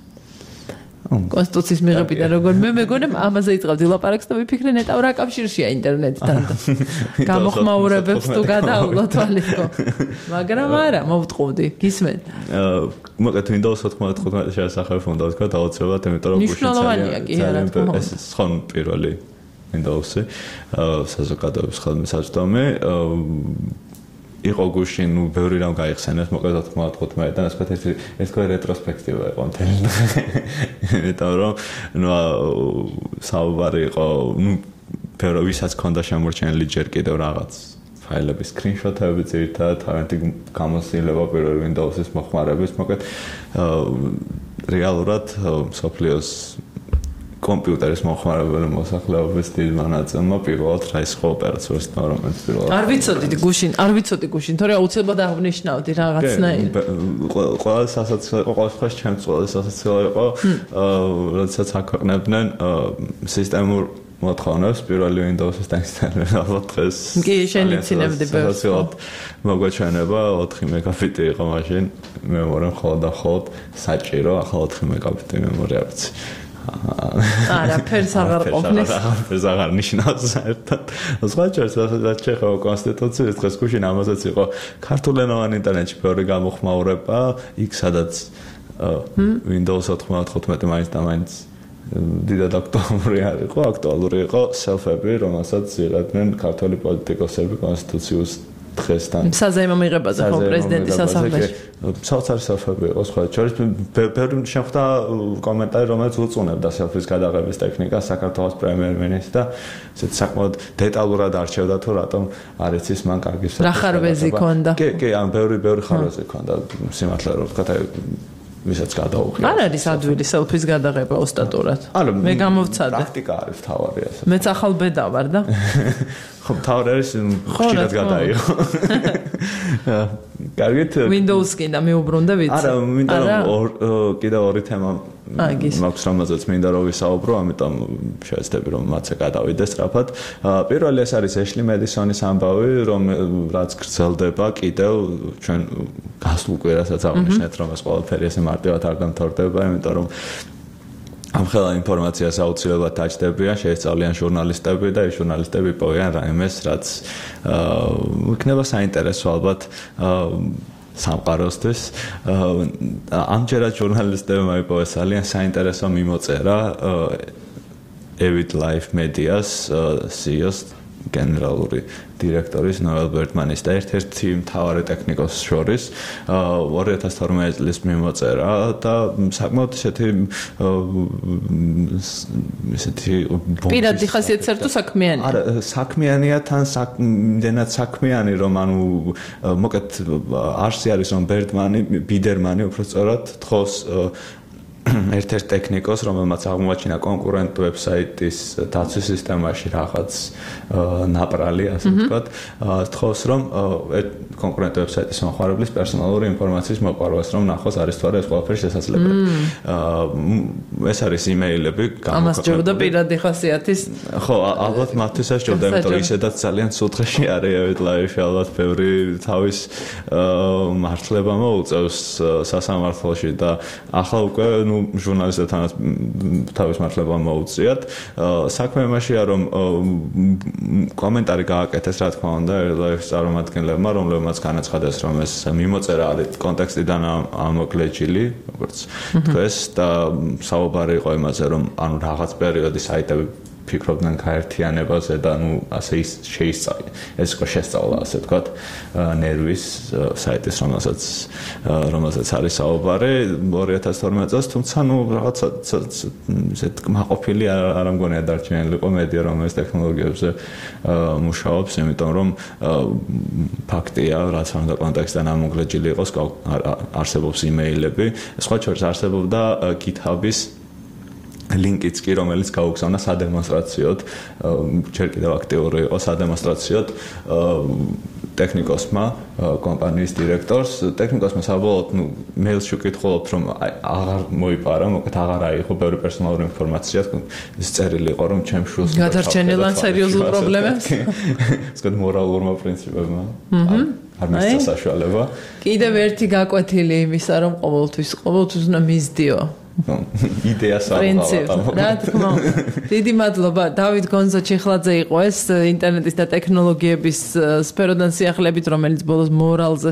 კონსტიტუციის მიღებიდან როგორ მე მეგონი ამაზე იწყებდი ლაპარაკს და ვიფიქრე ნეტავ რა კავშირშია ინტერნეტთან და გამოხმაურებებს თუ გადავლო თვალისკო. მაგრამ არა, მოვტყუდი, გისმენ. მოკლედ Windows 95 შესახებ უნდა ვთქვა დაუცებად, იმიტომ რომ გუშინ ძალიან ეს სხვა პირველი Windows-ი საზოგადოების ხელმისაწვდომი იყო გუშინ, ბევრი რამ გაიხსენეს, მოკლედ 95-დან ასე ვთქვათ, ეს თქვა რეტროსპექტივა იყო მთელი. იმიტომ რომ საუბარი იყო, ბევრი ვისაც ჰქონდა შემორჩენილი ჯერ კიდევ რაღაც ფაილების სკრინშოტები ძირითადად, თავიანთი გამოცდილება პირველ Windows-ის მოხმარების, მოკლედ რეალურად მსოფლიოს კომპიუტერის მოხმარებელი მოსახლეობის დიდმა ნაწილმა პირველად რა ის ხო ოპერაციული სისტემა რომელიც პირველად არ ვიცოდი გუშინ თორე აუცილებლად აღნიშნავდი რაღაცნაირად ყველა სასაცილო იყო ყველა სხვა ჩემს ყველა სასაცილო იყო როდესაც აქვეყნებდნენ სისტემურ მოთხოვნებს პირველი Windows-ის დაინსტალირება ალბათ დღეს კი შენ იცინებდი ბევრს მოგვაჩვენება 4 მეგაბიტი იყო მაშინ მემორია მხოლოდ საჭირო ახლა 4 მეგაბიტი მემორია ვიცი არაფერს აღარ ყოფნის. არაფერს აღარ ნიშნავს საერთოდ. სხვა შეიძლება ჩეხოვა კონსტიტუციის დღეს გუშინ ამასაც იყო ქართულენოვანი ინტერნეტში ბევრი გამოხმაურება, იქ სადაც Windows 95 მაინც და მაინც დიდად აქტუალური იყო self-ები, რომელსაც იღებდნენ ქართული პოლიტიკოსები კონსტიტუციურ დღესთან. საზეიმო მიღებაზე ხო პრეზიდენტის სასახლეში. საოცარი self-ები იყო სხვა შორის ბევრი შეხვდა კომენტარი, რომელიც უწუნებდა self-ის გადაღების ტექნიკას საქართველოს პრემიერ-მინისტრს და ესეთ საკმაოდ დეტალურად არჩევდა თუ რატომ არ იცის მან კარგი რა ხარვეზი ქონდა. კი, ან ბევრი ხარვეზი ქონდა სიმართლე რომ ვთქვა ვისაც გადაუღია. არ არის ადვილი self-ის გადაღება ოსტატურად. მე გამოვცადე. პრაქტიკა არის თავარი ასე. მეც ახალ ბედა ვარ და ხო თავი არის ხშირად გადაიღო. კარგით Windows-კი და მეუბრუნდა ვიცი. არა, მინდა კიდევ ორი თემა მაქვს რომელზეც მინდა რომ ვისაუბრო, ამიტომ შევეცდები რომ მათზე გადავიდე სწრაფად. პირველი ეს არის ეშლი მედისონის ამბავი, რაც გრძელდება კიდევ ჩვენ გასულ კვირასაც აღნიშნეთ, რომ ეს ყველაფერი ესე მარტივად არ დამთავრდება, იმიტომ რომ ამ ხელა ინფორმაციას აუცილებლად დაჭდებიან, შეესწავლიან ჟურნალისტები და ეს ჟურნალისტები იპოვიან რაიმეს, რაც იქნება საინტერესო ალბათ სამყაროსთვის. ამჯერად ჟურნალისტებმა იპოვეს ძალიან საინტერესო მიმოწერა Avid Life Media's CEO-ს გენერალური დირექტორის ნოელ ბერტმანის და ერთ-ერთი მთავარი ტექნიკოსის შორის 2012 წლის მიმოწერა და საკმაოდ ესეთი პირადი ხასიათის თუ საქმიანი? არა, საქმიანია თან იმდენად საქმიანი, რომ ანუ მოკეთ არსი არის რომ ბიდერმანი უბრალოდ თხოვს ერთ-ერთ ტექნიკოს, რომელმაც აღმოაჩინა კონკურენტ ვებსაიტის დაცვის სისტემაში რაღაც ნაპრალი, ასე ვთქვათ, თხოვს რომ კონკურენტ ვებსაიტის მომხმარებლის პერსონალური ინფორმაციის მოყვარვას, რომ ნახოს არის თუ არა ეს ყველაფერი შესაძლებელი. ეს არის იმეილები, ამას ჯობდა პირადი ხასიათის. ხო, ალბათ მათთვისაც ჯობდა, იმიტომ რომ ისედაც ძალიან სუთხეში არის ლაივში, ალბათ ბევრი თავის მართლება მოუწევს სასამართლოში და ახლა უკვე ჟურნალისტებთანაც თავის მართლება მოუწიათ. საქმე იმაშია, რომ კომენტარი გააკეთეს, რა თქმა უნდა, ლაივის წარმომადგენლებმა, რომლებმაც განაცხადეს, რომ ეს მიმოწერა არის კონტექსტიდან ამოკლეჯილი, როგორც თქვეს, და საუბარი იყო იმაზე, რომ ანუ რაღაც პერიოდი საიტები ფიქრობდნენ გაერთიანებაზე და ნუ ასე შეისწავლეს. ეს იყო შესწავლა, ასე ვთქვათ, ნერვის საიტის, რომელსაც არის საუბარი 2012 წელს, თუმცა ნუ რაღაცა ესეთ მაყოფილი არ მგონია დარჩენილი იყო მედია, რომელიც ტექნოლოგიებზე მუშაობს, იმიტომ რომ ფაქტია, რაც უნდა კონტექსტიდან ამოკლეჯილი იყოს, არსებობს იმეილები, სხვა შორის არსებობდა GitHub-ის ლინკიც კი, რომელიც გაუგზავნა სადემონსტრაციოდ, ჯერ კიდევ აქტიური იყო სადემონსტრაციოდ ტექნიკოსმა, კომპანიის დირექტორს. ტექნიკოსმა საბოლოოდ მეილში ვკითხულობთ, რომ აღარ მოიპარა, მოკეთ აღარ აიღო ბევრი პერსონალური ინფორმაცია, ეს წერილი იყო, რომ ჩემ შულს გადარჩენილ ან სერიოზულ პრობლემებს, ისეთ მორალურმა პრინციპებმა არ მისცა საშუალება. კიდევ ერთი გაკვეთილი იმისა, რომ ყოველთვის უნდა მისდიო იდეას რა თქმა უნდა. დიდი მადლობა. დავით გონზა-ჩიხლაძე იყო ეს ინტერნეტის და ტექნოლოგიების სფეროდან სიახლებით, რომელიც ბოლოს მორალზე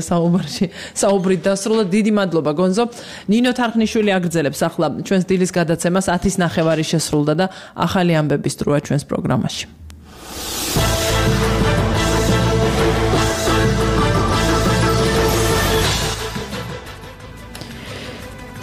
საუბრით დასრულდა. დიდი მადლობა გონზო. ნინო თარხნიშვილი აგრძელებს ახლა ჩვენს დილის გადაცემას 10:30 შესრულდა და ახალი ამბების დროა ჩვენს პროგრამაში.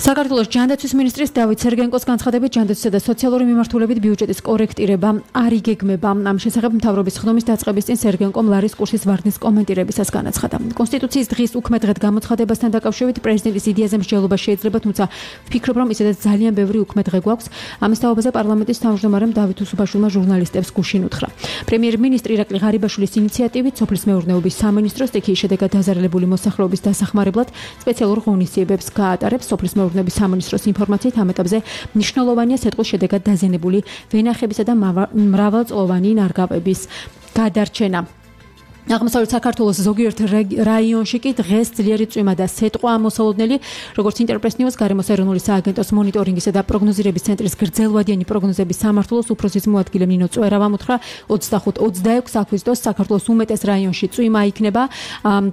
საქართველოს ჯანდაცვის მინისტრის დავით სერგენკოს განცხადებით, ჯანდაცვისა და სოციალური მიმართულებით ბიუჯეტის კორექტირება არ იგეგმება. ამ შესახებ მთავრობის ხდომის დაწყების წინ სერგენკომ ლარის კურსის ვარდნის კომენტირებისას განაცხადა. კონსტიტუციის დღის უქმედღედ გამოცხადებასთან დაკავშირებით პრეზიდენტის იდეაზე მსჯელობა შეიძლება, თუმცა ვფიქრობ, რომ ისედაც ძალიან ბევრი უქმედღე გვაქვს. ამის თაობაზე პარლამენტის თავმჯდომარემ დავით უსუბაშვილმა ჟურნალისტებს გუშინ უთხრა. პრემიერ-მინისტრი ირაკლი ღარიბაშვილის ინიციატივით სოფლის მეურნეობის სამინისტრო სტიქიის შედეგად დაზარალებული მოსახლეობის დასახმარებლად სპეციალურ ღონისძიებებს გაატარებს. სოფლის მეურნეობის სამინისტროს ინფორმაციით ამ ეტაპზე მნიშვნელოვანია სეტყვის შედეგად დაზიანებული ვენახებისა და მრავალწლოვანი ნარგავების გადარჩენა. აღმოსავლეთ საქართველოს ზოგიერთ რაიონში კი დღეს ძლიერი წვიმა და სეტყვა ამოსალოდნელი, როგორც ინტერპრეს ნიუს გარემოს ეროვნული სააგენტოს მონიტორინგისა და პროგნოზირების ცენტრის გრძელვადიანი პროგნოზების სამმართველოს უფროსის მოადგილე ნინო წვერავამ უთხრა 25-26 აგვისტოს საქართველოს უმეტეს რაიონში წვიმა იქნება,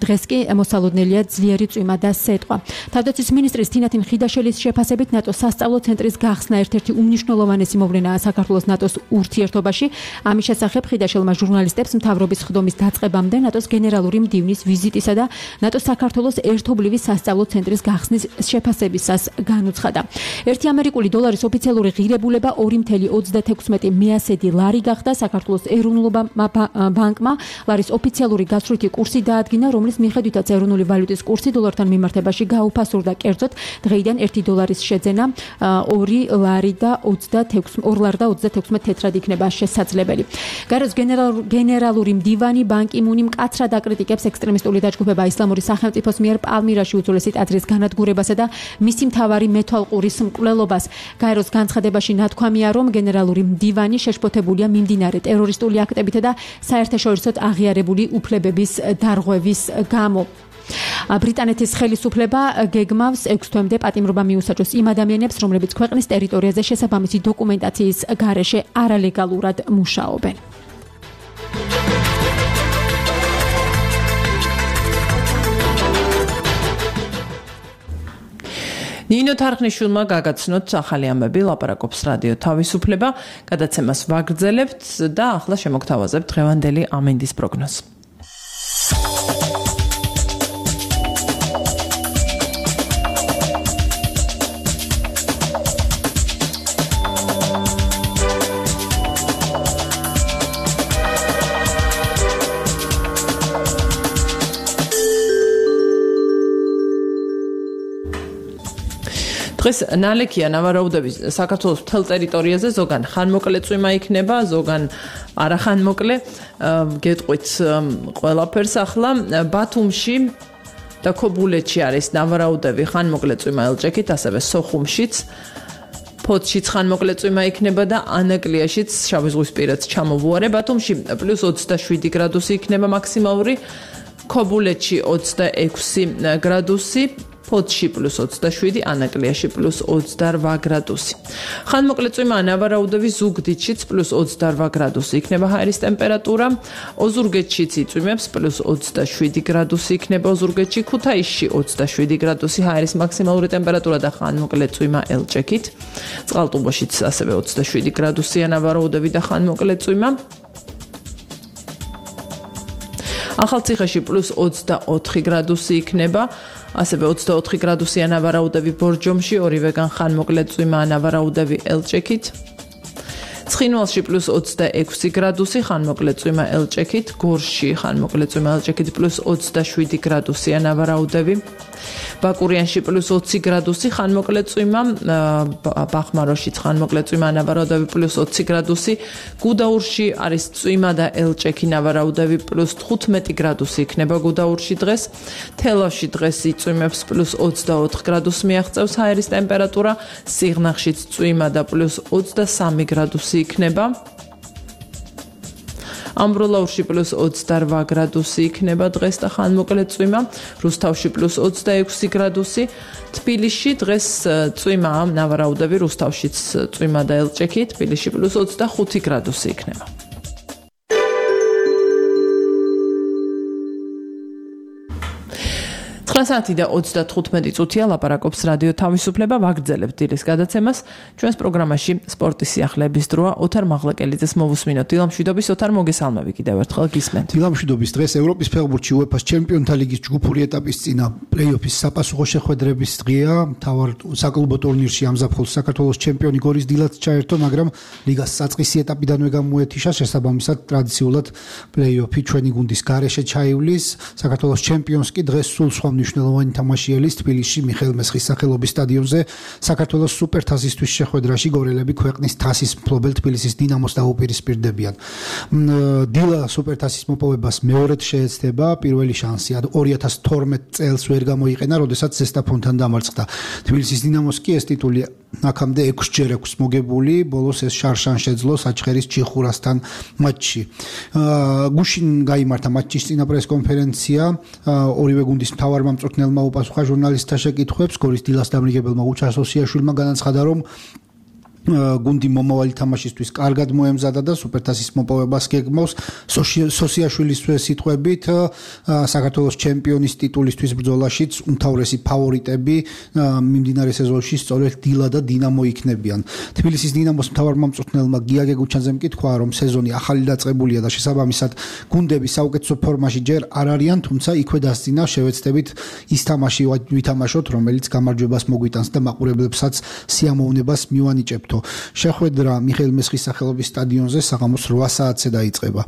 დღეს კი მოსალოდნელია ძლიერი წვიმა და სეტყვა. თავდაცვის მინისტრის თინათინ ხიდაშელის შეფასებით ნატოს სასწავლო ცენტრის გახსნა ერთ-ერთი უმნიშვნელოვანესი მოვლენაა საქართველოს ნატოს ურთიერთობაში. ამის შესახებ ხიდაშელმა ჟურნალისტებს მთავრობის ხდომის დაწყებამდე ნატოს გენერალური მდივნის ვიზიტისა და ნატოს საქართველოს ერთობლივი სასწავლო ცენტრის გახსნის შეფასებისას განუცხადა. 1 ამერიკული დოლარის ოფიციალური ღირებულება 2.36 მეასედი ლარი გახდა. საქართველოს ეროვნულ ბანკმა ლარის ოფიციალური გასვლითი კურსი დაადგინა, რომლის მიხედვითაც ეროვნული ვალუტის კურსი დოლართან მიმართებაში გაუფასურდა. კერძოდ, დღეიდან 1 დოლარის შეძენა 2 ლარი და 26 თეთრად იქნება შესაძლებელი. გაროს გენერალური მდივანი ბან კი მუნი მკაცრად აკრიტიკებს ექსტრემისტული დაჯგუფება ისლამური სახელმწიფოს მიერ პალმირაში უძველესი ტაძრის განადგურებასა და მისი მთავარი მეთვალყურის მკვლელობას. გაეროს განცხადებაში ნათქვამია, რომ გენერალური მდივანი შეშფოთებულია მიმდინარე ტერორისტული აქტებითა და საერთაშორისოდ აღიარებული უფლებების დარღვევის გამო. ბრიტანეთის ხელისუფლება გეგმავს 6 თვემდე პატიმრობა მიუსაჯოს იმ ადამიანებს, რომლებიც ქვეყნის ტერიტორიაზე შესაბამისი დოკუმენტაციის გარეშე არალეგალურად მუშაობენ. ნინო თარხნიშვილმა გაგაცნოთ ახალი ამბები, ლაპარაკობს რადიო თავისუფლება, გადაცემას ვაგრძელებთ და ახლა შემოგთავაზებთ დღევანდელი ამინდის პროგნოზს. დღეს ნალექია ნავარაუდების საქართველოს მთელ ტერიტორიაზე, ზოგან ხანმოკლე წვიმა იქნება, ზოგან არახანმოკლე. გეტყვით ყველაფერს ახლა ბათუმში და ქობულეთში არის ნავარაუდები ხანმოკლე წვიმა ელჭექით, ასევე სოხუმშიც. ფოთშიც ხანმოკლე წვიმა იქნება და ანაკლიაშიც შავიზღვისპირეთს ჩამოვუარე. ბათუმში +27 გრადუსი იქნება მაქსიმალური, ქობულეთში 26 გრადუსი. ფოთში +27, ანაკლიაში +28 გრადუსი. ხანმოკლე წვიმა ნავარაუდები ზუგდიდშიც +28 გრადუსი იქნება ჰაერის ტემპერატურა. ოზურგეთშიც იწვიმებს +27 გრადუსი იქნება ოზურგეთში, ქუთაისში 27 გრადუსი ჰაერის მაქსიმალური ტემპერატურა და ხანმოკლე წვიმა ელჭექით. წყალტუბოშიც ასევე 27 გრადუსია ნავარაუდები და ხანმოკლე წვიმა. ახალციხეში +24 გრადუსი იქნება. ასევე 24 გრადუსია ნავარაუდები ბორჯომში, ორივეგან ხანმოკლე წვიმა ნავარაუდები ელჭექით. ცხინვალში +26 გრადუსი, ხანმოკლე წვიმა ელჭექით. გორში ხანმოკლე წვიმა ელჭექით +27 გრადუსია ნავარაუდები. ბაკურიანში +20 გრადუსი, ხანმოკლე წვიმა. ბახმაროშიც ხანმოკლე წვიმა ნავარაუდები +20 გრადუსი. გუდაურში არის წვიმა და ელჭექი ნავარაუდები +15 გრადუსი იქნება გუდაურში დღეს. თელავში დღეს იწვიმებს +24 გრადუსს მიაღწევს ჰაერის ტემპერატურა. სიღნაღშიც წვიმა და +23 გრადუსი იქნება. ამბროლაურში +28 გრადუსი იქნება დღეს და ხანმოკლე წვიმა. რუსთავში +26 გრადუსი. თბილისში დღეს წვიმა ნავარაუდები, რუსთავშიც წვიმა და ელჭექი, თბილისში +25 გრადუსი იქნება. საათი და 35 წუთია ლაპარაკობს რადიო თავისუფლება, ვაგრძელებთ დილის გადაცემას. ჩვენს პროგრამაში სპორტის სიახლეების დროა. ოთარ მაღლაკელიძეს მოვუსმინოთ. დილამშვიდობის, ოთარ, მოგესალმები კიდევ ერთხელ გისმენთ. დილამშვიდობის. დღეს ევროპის ფეხბურთში UEFA-ს ჩემპიონთა ლიგის ჯგუფური ეტაპის წინა პლეი-ოფის საპასუხო შეხვედრების დღეა. მთავარ საკლუბო ტურნირში ამზაფხულს საქართველოს ჩემპიონი გორის დილაც ჩაერთო, მაგრამ ლიგას საწყისი ეტაპიდანვე გამოეთიშა, შესაბამისად ტრადიციულად პლეი-ოფი ჩვენი გუნდის გარეშე ჩაივლის. საქართველოს ჩემპიონს კი დღეს სულ სხვა მნიშვნელოვანი თამაშიელის თბილისში მიხეილ მესხის სახელობის სტადიონზე საქართველოს სუპერთასისთვის შეხვედრაში გორელები ქვეყნის თასის მფლობელ თბილისის დინამოს დაუპირისპირდებიან. დილა სუპერთასის მოპოვებას მეორედ შეეცდება, პირველი შანსი 2012 წელს ვერ გამოიყენა, როდესაც ზესტაფონთან დამარცხდა. თბილისის დინამოს კი ეს ტიტული აქამდე 6-ჯერ აქვს მოგებული, ბოლოს ეს შარშან შეძლო საჩხერის ჩიხურასთან მატჩში. გუშინ გაიმართა მატჩის წინა პრესკონფერენცია, ორივე გუნდის მთავარ მწვრთნელმა უპასუხა ჟურნალისტთა შეკითხვებს. გორის დილას დამრიგებელმა უჩა სოსიაშვილმა განაცხადა, რომ გუნდი მომავალი თამაშისთვის კარგად მოემზადა და სუპერთასის მოპოვებას გეგმავს. სოსიაშვილის სიტყვებით, საქართველოს ჩემპიონის ტიტულისთვის ბრძოლაშიც უმთავრესი ფავორიტები მიმდინარე სეზონში სწორედ დილა და დინამო იქნებიან. თბილისის დინამოს მთავარმა მწვრთნელმა გიაგე გუჩანძემ კითხვა, რომ სეზონი ახალი დაწყებულია და შესაბამისად გუნდები საუკეთესო ფორმაში ჯერ არ არიან, თუმცა იქვე დასწინა შევეცდებით ის თამაში ვითამაშოთ, რომელიც გამარჯვებას მოგვიტანს და მაყურებლებსაც სიამოვნებას მივანიჭებთ. შეხვედრა მიხეილ მესხის სახელობის სტადიონზე საღამოს 8 საათზე დაიწყება.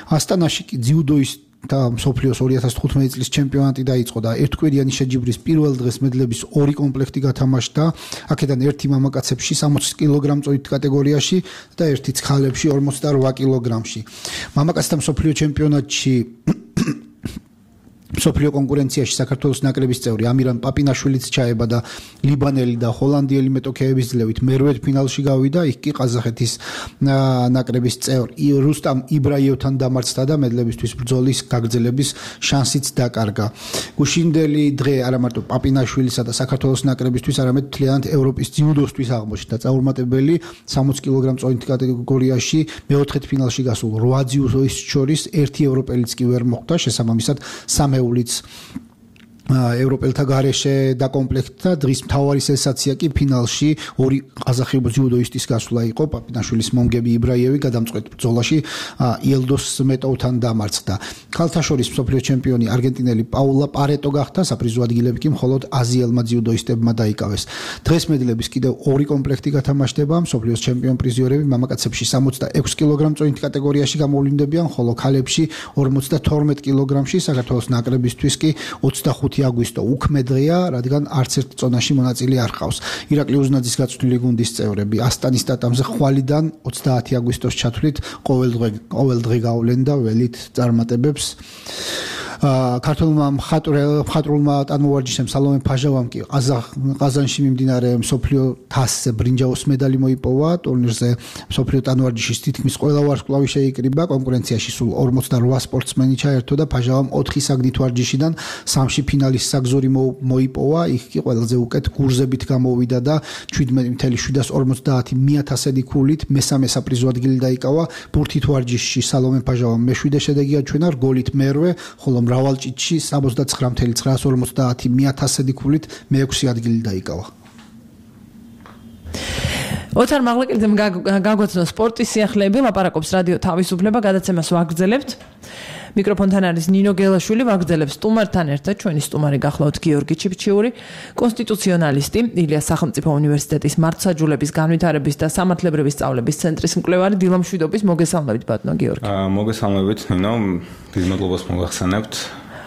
ასტანაში კი ძიუდოის და მსოფლიოს 2015 წლის ჩემპიონატი დაიწყო და ერთკვირიანი შეჯიბრის პირველ დღეს მედლების 2 კომპლექტი გათამაშდა. აქედან ერთი მამაკაცებში 60 კილოგრამ-წოდით კატეგორიაში და ერთი ცხალებში 48 კილოგრამში. მამაკაცთა მსოფლიო ჩემპიონატში მსოფლიო კონკურენციაში საქართველოს ნაკრების წევრი ამირან პაპინაშვილიც ჩაება და ლიბანელი და ჰოლანდიელი მეტოქეების ძლევით მერვედ ფინალში გავიდა. იქ კი ყაზახეთის ნაკრების წევრი რუსტამ იბრაიევთან დამარცხდა და მედლებისთვის ბრძოლის გაგრძელების შანსიც დაკარგა. გუშინდელი დღე არა მარტო პაპინაშვილისა და საქართველოს ნაკრებისთვის, არამედ მთლიანად ევროპის ძიუდოსთვის აღმოჩნდა წარუმატებელი 60 კილოგრამ-წოდით კატეგორიაში მეოთხედ ფინალში გასულ 8 ძიუდოის შორის ერთი ევროპელიც კი ვერ მოხვდა, შესაბამისად სამეულიც ევროპელთა გარეშე დაკომპლექტდა დღის მთავარი სენსაცია კი ფინალში ორი ყაზახი ჯუდოისტის გასვლა იყო პაპინაშვილის მომგები იბრაიევი გადამწყვეტ ბრძოლაში იელდოს მეტოვთან დამარცხდა ქალთა შორის მსოფლიო ჩემპიონი არგენტინელი პაულა პარეტო გახდა საპრიზო ადგილები კი მხოლოდ აზიელმა ჯუდოისტებმა დაიკავეს დღეს მედლების კიდევ ორი კომპლექტი გათამაშდება მსოფლიოს ჩემპიონ პრიზიორები მამაკაცებში 66 კილოგრამ წონით კატეგორიაში გამოვლინდებიან ხოლო ქალებში 52 კილოგრამში საქართველოს ნაკრებისთვის კი 25 აგვისტო უქმე დღეა, რადგან არც ერთ წონაში მონაწილე არ ყავს. ირაკლი უზნაძის გაწვრთნილი გუნდის წევრები ასტანის ტატამზე ხვალიდან 30 აგვისტოს ჩათვლით ყოველ დღე გავლენ და ველით წარმატებებს. ქართულმა მხატვრულმა ტანმოვარჯიშემ სალომე ფაჟავამ კი ყაზანში მიმდინარე მსოფლიო თასზე ბრინჯაოს медаლი მოიპოვა ტურნირზე მსოფლიო ტანმოვარჯიშის თითქმის ყველა ვარსკვლავი შეიკრიბა კონკურენციაში სულ 48 სპორტსმენი ჩაერთო და ფაჟავამ 4 საგნით ვარჯიშიდან 3-ში ფინალის საგზური მოიპოვა იქ კი ყველაზე უკეთ გურზებით გამოვიდა და 17.750 ქულით მესამე საპრიზო ადგილი დაიკავა ბურთით ვარჯიშში სალომე ფაჟავამ მეშვიდე შედეგი აჩვენა რგოლით მერვე ხოლო მრავალ ჭიდში 69.950 ქულით მეექვსე ადგილი დაიკავა. ოთარ მაღლაკელიძემ გაგვაცნო სპორტის სიახლეები, ლაპარაკობს რადიო თავისუფლება, გადაცემას ვაგრძელებთ. მიკროფონთან არის ნინო გელაშვილი, ვაგრძელებს სტუმართან ერთად ჩვენი სტუმარი გახლავთ გიორგი ჩიფჩიური, კონსტიტუციონალისტი, ილიას სახელმწიფო უნივერსიტეტის მართლმსაჯულების განვითარების და სამართლებრივი სწავლების ცენტრის მკვლევარი დილა მშვიდობის მოგესალმებით ბატონო გიორგი. მოგესალმებით ნინო, დიდ მადლობას მოგახსენებთ.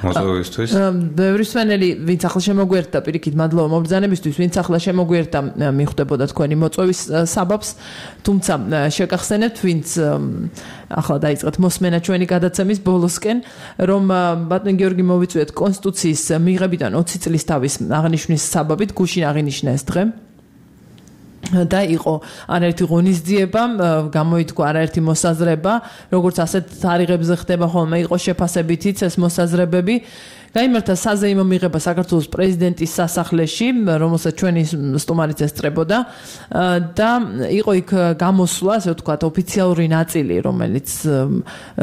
მოწვევისთვის. ბევრი სვენელი ვინც ახლა შემოგვერთა პირიქით მადლობა მობრძანებისთვის ვინც ახლა შემოგვერთა მიხვდებოდა თქვენი მოწვევის საბაბს თუმცა შეგახსენებთ ვინც ახლა დაიწყეთ მოსმენა ჩვენი გადაცემის ბოლოსკენ რომ ბატონ გიორგი მოვიწვიეთ კონსტიტუციის მიღებიდან 20 წლის თავის აღნიშვნის საბაბით გუშინ აღინიშნა ეს დღე და იყო არაერთი ღონისძიება, გამოითქვა არაერთი მოსაზრება, როგორც ასეთ თარიღებზე ხდება ხოლმე იყო შეფასებითიც ეს მოსაზრებები. გაიმართა საზეიმო მიღება საქართველოს პრეზიდენტის სასახლეში, რომელსაც ჩვენი სტუმარიც ესწრებოდა და იყო იქ გამოსვლა, ასე ვთქვათ, ოფიციალური ნაწილი, რომელიც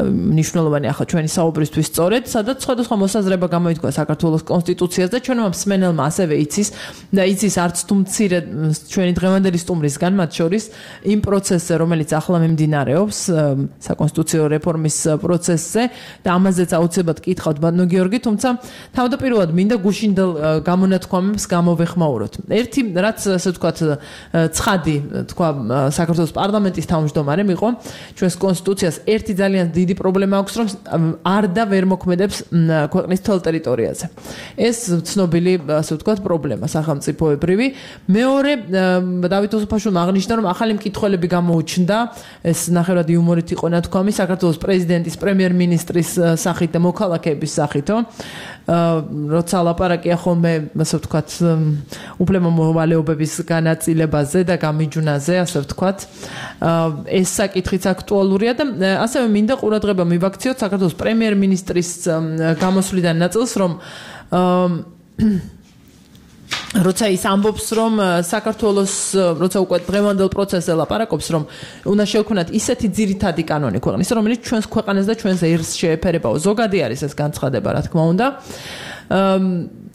მნიშვნელოვანი ახლა ჩვენი საუბრისთვის სწორედ, სადაც სხვადასხვა მოსაზრება გამოითქვა საქართველოს კონსტიტუციას და ჩვენმა მსმენელმა ასევე იცის და იცის არც თუ მცირე ჩვენი დღევანდელი სტუმრისგან, მათ შორის იმ პროცესზე, რომელიც ახლა მიმდინარეობს, საკონსტიტუციო რეფორმის პროცესზე და ამაზეც აუცილებლად კითხავთ ბატონო გიორგი, თუმცა თავდაპირველად მინდა გუშინდელ გამონათქვამებს გამოვეხმაუროთ. ერთი რაც ასე ვთქვათ ცხადი თქვა საქართველოს პარლამენტის თავმჯდომარემ იყო ჩვენს კონსტიტუციას ერთი ძალიან დიდი პრობლემა აქვს რომ არ და ვერ მოქმედებს ქვეყნის თელ ტერიტორიაზე. ეს ცნობილი ასე ვთქვათ პრობლემა სახელმწიფოებრივი. მეორე დავით ოსოფაშვილმა აღნიშნა რომ ახალი მკითხველები გამოუჩნდა ეს ნახევრად იუმორით იყო ნათქვამი საქართველოს პრეზიდენტის პრემიერ-მინისტრის სახით და მოქალაქეების სახითო. როცა ლაპარაკია ხოლმე ასე ვთქვათ უფლება მოვალეობების განაწილებაზე და გამიჯვნაზე ასე ვთქვათ ეს საკითხიც აქტუალურია და ასევე მინდა ყურადღება მივაქციოთ საქართველოს პრემიერ-მინისტრის გამოსვლიდან ნაწილს რომ როცა ის ამბობს რომ საქართველოს როცა უკვე დღევანდელ პროცესზე ლაპარაკობს რომ უნდა შევქმნათ ისეთი ძირითადი კანონი ქვეყნის რომელიც ჩვენს ქვეყანას და ჩვენს ერს შეეფერებაო ზოგადი არის ეს განცხადება რა თქმა უნდა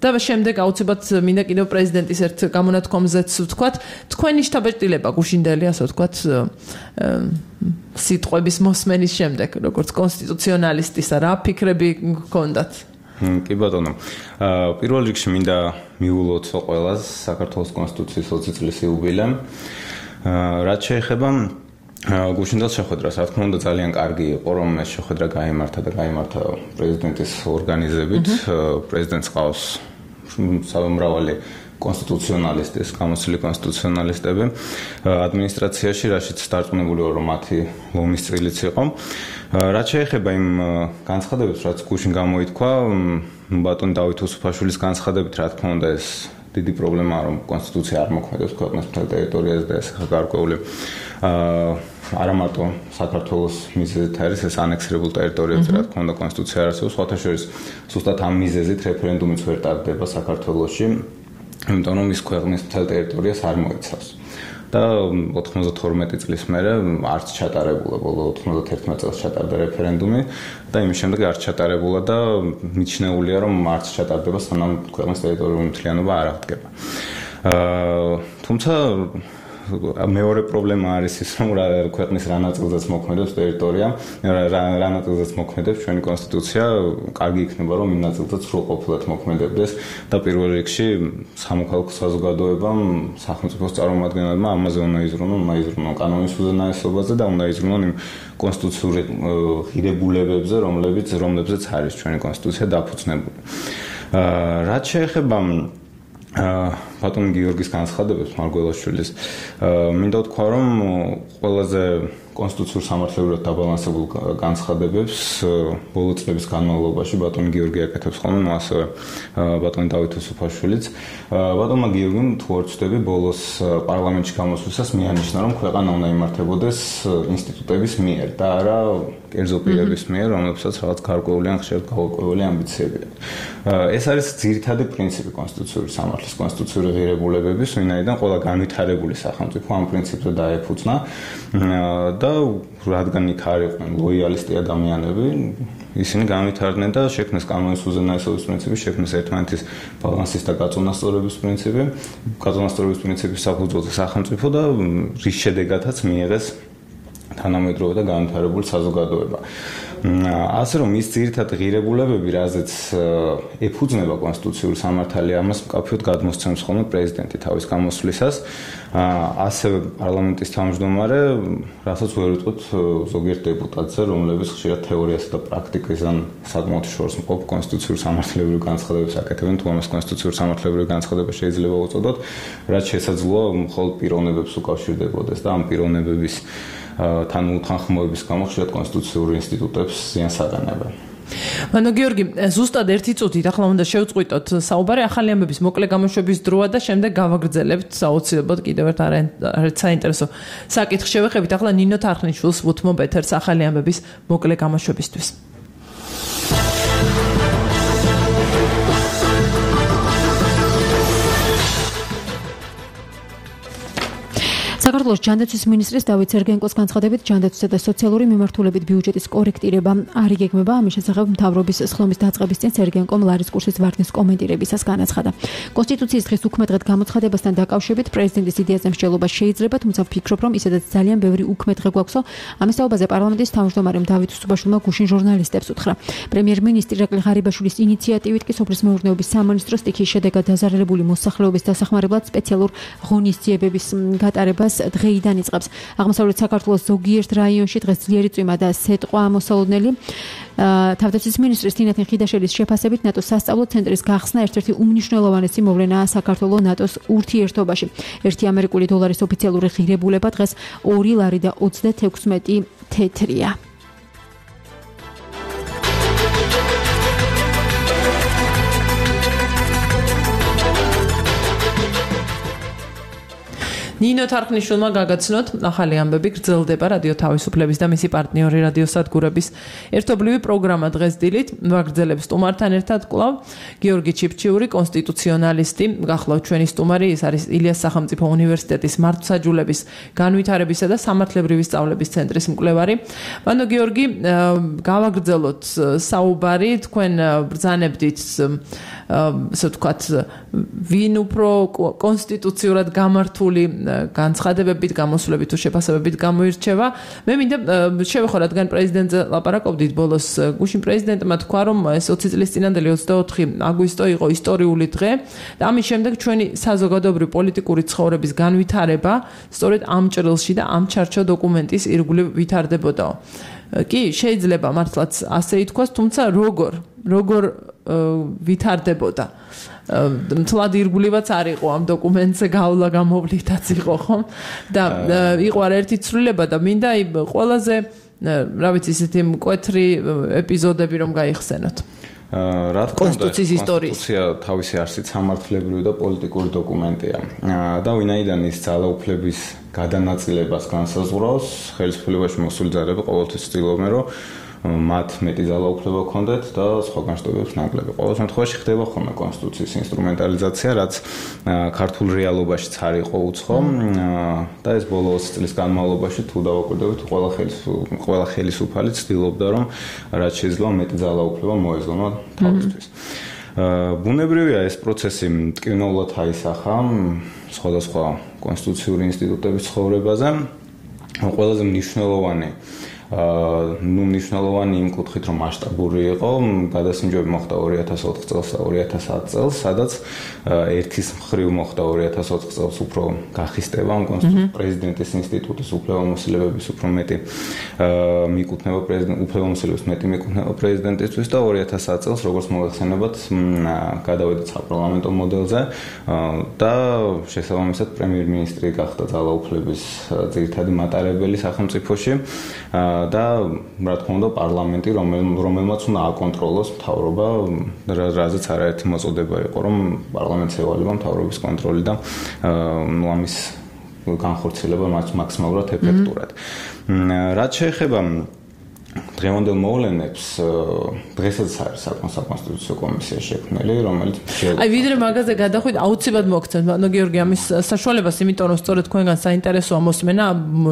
და შემდეგ აუცილებლად მინდა კიდევ პრეზიდენტის ერთ გამონათქვამზეც ვთქვათ თქვენი შთაბეჭდილება გუშინდელი ასე ვთქვათ სიტყვების მოსმენის შემდეგ როგორც კონსტიტუციონალისტისა რა ფიქრები გქონდათ კი ბატონო. პირველ რიგში მინდა მიულოთ ყველას საქართველოს კონსტიტუციის 20 წლის იუბილემ. რაც შეეხება გუშინდელ შეხვედრას, რა თქმა უნდა ძალიან კარგი იყო, რომ ეს შეხვედრა გაიმართა და გაიმართა პრეზიდენტის ორგანიზებით. პრეზიდენტს ყავს სამრავალი კონსტიტუციონალისტის, გამოცილი კონსტიტუციონალისტები ადმინისტრაციაში, რაშიც დარწმუნებული ვარ, რომ მათი ლომის წილიც იყო. რაც შეეხება იმ განცხადებებს, რაც გუშინ გამოითქვა, ბატონ დავით ოსოფაშვილის განცხადებით, რა თქმა უნდა, ეს დიდი პრობლემაა, რომ კონსტიტუცია არ მოქმედებს ქვეყნის მთელ ტერიტორიაზე და ეს გარკვეული არა მარტო საქართველოს მიზეზით არის ეს ანექსირებულ ტერიტორიებზე, რა თქმა უნდა, კონსტიტუცია არ არსებობს, სხვათა შორის, ზუსტად ამ მიზეზით რეფერენდუმიც ვერ ტარდება საქართველოში. იმიტომ რომ ის ქვეყნის მთელ ტერიტორიას არ მოიცავს. და 92 წლის მერე არც ჩატარებულა, ბოლო 91 წელს ჩატარდა რეფერენდუმი და იმის შემდეგ არც ჩატარებულა და მიჩნეულია რომ არც ჩატარდება სანამ ქვეყნის ტერიტორიული მთლიანობა არ აღდგება. თუმცა მეორე პრობლემა არის ის რომ ქვეყნის რა ნაწილზეც მოქმედებს ტერიტორია, რა ნაწილზეც მოქმედებს ჩვენი კონსტიტუცია, კარგი იქნება რომ იმ ნაწილზეც სრულყოფილად მოქმედებდეს და პირველ რიგში სამოქალაქო საზოგადოებამ, სახელმწიფოს წარმომადგენლებმა ამაზე უნდა იზრუნონ კანონის უზენაესობაზე და უნდა იზრუნონ იმ კონსტიტუციური ღირებულებებზე, რომლებზეც არის ჩვენი კონსტიტუცია დაფუძნებული. რაც შეეხება ბატონ გიორგის განცხადებებს მარგველაშვილის მინდა ვთქვა რომ ყველაზე კონსტიტუციურ სამართლებრივად დაბალანსებულ განცხადებებს ბოლო წლების განმავლობაში ბატონ გიორგი აკეთებს ხოლმე ასევე ბატონ დავით უსუფაშვილიც ბატონმა გიორგიმ თუ არ ვცდები ბოლოს პარლამენტში გამოსვლისას მიანიშნა რომ ქვეყანა უნდა იმართებოდეს ინსტიტუტების მიერ და არა კერძო პირების მიერ რომლებსაც რაღაც გარკვეული ან ხშირად გაურკვეველი ამბიციები აქვს ეს არის ძირითადი პრინციპი კონსტიტუციური სამართლის კონსტიტუციური ღირებულებების ვინაიდან ყველა განვითარებული სახელმწიფო ამ პრინციპზე დაეფუძნა და რადგან იქ არ იყვნენ ლოიალისტი ადამიანები ისინი განვითარდნენ და შექმნეს კანონის უზენაესობის პრინციპი, შექმნეს ერთმანეთის ბალანსის და გაწონასწორების პრინციპი, გაწონასწორების პრინციპის საფუძველზე სახელმწიფო და რის შედეგადაც მიიღეს თანამედროვე და განვითარებული საზოგადოება. ასე რომ ის ძირითადი ღირებულებები, რაზეც ეფუძნება კონსტიტუციური სამართალი, ამას მკაფიოდ გადმოსცემს ხოლმე პრეზიდენტი თავის გამოსვლისას, ასევე პარლამენტის თავმჯდომარე, რასაც ვერ ვიტყვით ზოგიერთ დეპუტატზე, რომლებიც ხშირად თეორიასა და პრაქტიკისგან საკმაოდ შორს მყოფ კონსტიტუციური სამართლებრივ განცხადებებს აკეთებენ, თუ ამას კონსტიტუციური სამართლებრივ განცხადება შეიძლება უწოდოთ, რაც შესაძლოა მხოლოდ პიროვნებებს უკავშირდებოდეს და ამ პიროვნებების თან უთანხმოების გამო ხშირად კონსტიტუციური ინსტიტუტებს ზიანს აყენებენ. მანო გიორგი, ზუსტად 1 წუთით ახლა უნდა შევწყვიტოთ საუბარი ახალი ამბების მოკლე გამოშვების დროა და შემდეგ გავაგრძელებთ საოცრებოდ კიდევ ერთ არც საინტერესო საკითხს შევეხებით. ახლა ნინო თარხნიშვილს ვუთმობ ეთერს ახალი ამბების მოკლე გამოშვებისთვის. საქართველოს ჯანდაცვის მინისტრის დავით სერგენკოს განცხადებით ჯანდაცვისა და სოციალური მიმართულებით ბიუჯეტის კორექტირება არ იგეგმება. ამის შესახებ მთავრობის სხდომის დაწყების წინ სერგენკომ ლარის კურსის ვარდნის კომენტირებისას განაცხადა. კონსტიტუციის დღის უქმედღედ გამოცხადებასთან დაკავშირებით პრეზიდენტის იდეაზე მსჯელობა შეიძლება, თუმცა ვფიქრობ, რომ ისედაც ძალიან ბევრი უქმედღე გვაქვსო. ამის საუბარზე პარლამენტის თავმჯდომარემ დავით უსუფაშვილმა გუშინ ჟურნალისტებს უთხრა. პრემიერ-მინისტრი ირაკლი ღარიბაშვილის ინიციატივით კი სოფლის მეურნეობის სამინისტრო სტიქიის შედეგად დაზარალებული მოსახლეობის დასახმარებლად სპეციალურ ღონისძიებების გატარებას დღეიდან იწყებს. აღმოსავლეთ საქართველოს ზოგიერთ რაიონში დღეს ძლიერი წვიმა და სეტყვა მოსალოდნელი. თავდაცვის მინისტრის თინათინ ხიდაშელის შეფასებით ნატოს სასწავლო ცენტრის გახსნა ერთ-ერთი უმნიშვნელოვანესი მოვლენაა საქართველოს ნატოს ურთიერთობაში. 1 ამერიკული დოლარის ოფიციალური ღირებულება დღეს 2 ლარი და 36 თეთრია. ნინო თარხნიშვილმა გაგაცნოთ ახალი ამბები გრძელდება რადიო თავისუფლების და მისი პარტნიორი რადიო სადგურების ერთობლივი პროგრამა დღეს დილით ვაგრძელებს სტუმართან ერთად კვლავ გიორგი ჩიფჩიური კონსტიტუციონალისტი გახლავთ ჩვენი სტუმარი ის არის ილიას სახელმწიფო უნივერსიტეტის მართლმსაჯულების განვითარებისა და სამართლებრივი სწავლების ცენტრის მკვლევარი. მანო გიორგი, გავაგრძელოთ საუბარი, თქვენ ბრძანებდით ასე ვთქვათ ვინ უფრო კონსტიტუციურად გამართული განცხადებებით, გამოსვლებით თუ შეფასებებით გამოირჩევა. მე მინდა შევეხო, რადგან პრეზიდენტზე ლაპარაკობდით ბოლოს, გუშინ პრეზიდენტმა თქვა, რომ ეს 20 წლის წინანდელი 24 აგვისტო იყო ისტორიული დღე და ამის შემდეგ ჩვენი საზოგადოებრივი პოლიტიკური ცხოვრების განვითარება სწორედ ამ ჭრილში და ამ ჩარჩო დოკუმენტის ირგვლივ ვითარდებოდაო. კი, შეიძლება მართლაც ასე ითქვას, თუმცა როგორ ვითარდებოდა? მთლად ირგვლივაც არ იყო ამ დოკუმენტზე გავლა გამოვლითაც იყო ხომ და იყო ერთი ცვლილება და მინდა ყველაზე რა ვიცი ისეთი მკვეთრი ეპიზოდები რომ გაიხსენოთ. რა თქმა უნდა, კონსტიტუცია თავისი არსით სამართლებრივი და პოლიტიკური დოკუმენტია და ვინაიდან ის ძალაუფლების გადანაწილებას განსაზღვრავს, ხელისუფლებაში მოსული ძალები ყოველთვის ცდილობენ, რომ მათ მეტი ძალაუფლება ჰქონდათ და სხვა განშტოებებს ნაკლები. ყოველ შემთხვევაში ხდება ხოლმე კონსტიტუციის ინსტრუმენტალიზაცია, რაც ქართულ რეალობაშიც არ იყო უცხო და ეს ბოლო 20 წლის განმავლობაში თუ დავაკვირდებით, ყველა ხელისუფალი ცდილობდა, რომ რაც შეიძლება მეტი ძალაუფლება მოეძლო თავისთვის. ბუნებრივია ეს პროცესი მტკივნეულად აისახა სხვადასხვა კონსტიტუციური ინსტიტუტების ცხოვრებაზე. ყველაზე მნიშვნელოვანი მნიშვნელოვანი იმ კუთხით, რომ მასშტაბური იყო, გადასინჯები მოხდა 2004 წელს და 2010 წელს, სადაც ერთის მხრივ მოხდა 2004 წელს უფრო გახისტება პრეზიდენტის ინსტიტუტის უფლებამოსილებების უფრო მეტი მიკუთვნება უფლებამოსილების მეტი მიკუთვნება პრეზიდენტისთვის და 2010 წელს როგორც მოიხსენებათ, გადავედით საპარლამენტო მოდელზე და შესაბამისად პრემიერ-მინისტრი გახდა ძალაუფლების ძირითადი მატარებელი სახელმწიფოში. და რა თქმა უნდა პარლამენტი რომელმაც უნდა აკონტროლოს მთავრობა, რაზეც არაერთი მოწოდება იყო, რომ პარლამენტს ევალება მთავრობის კონტროლი და ამის განხორციელება მაქსიმალურად ეფექტურად. რაც შეეხება დღევანდელ მოვლენებს, დღესაც არის საკონსტიტუციო კომისია შექმნილი, რომელიც ვიდრე მაგაზე გადახვიდეთ, აუცილებლად მოგცემთ, ბატონო გიორგი, ამის საშუალებას, იმიტომ რომ სწორედ თქვენგან საინტერესოა მოსმენა,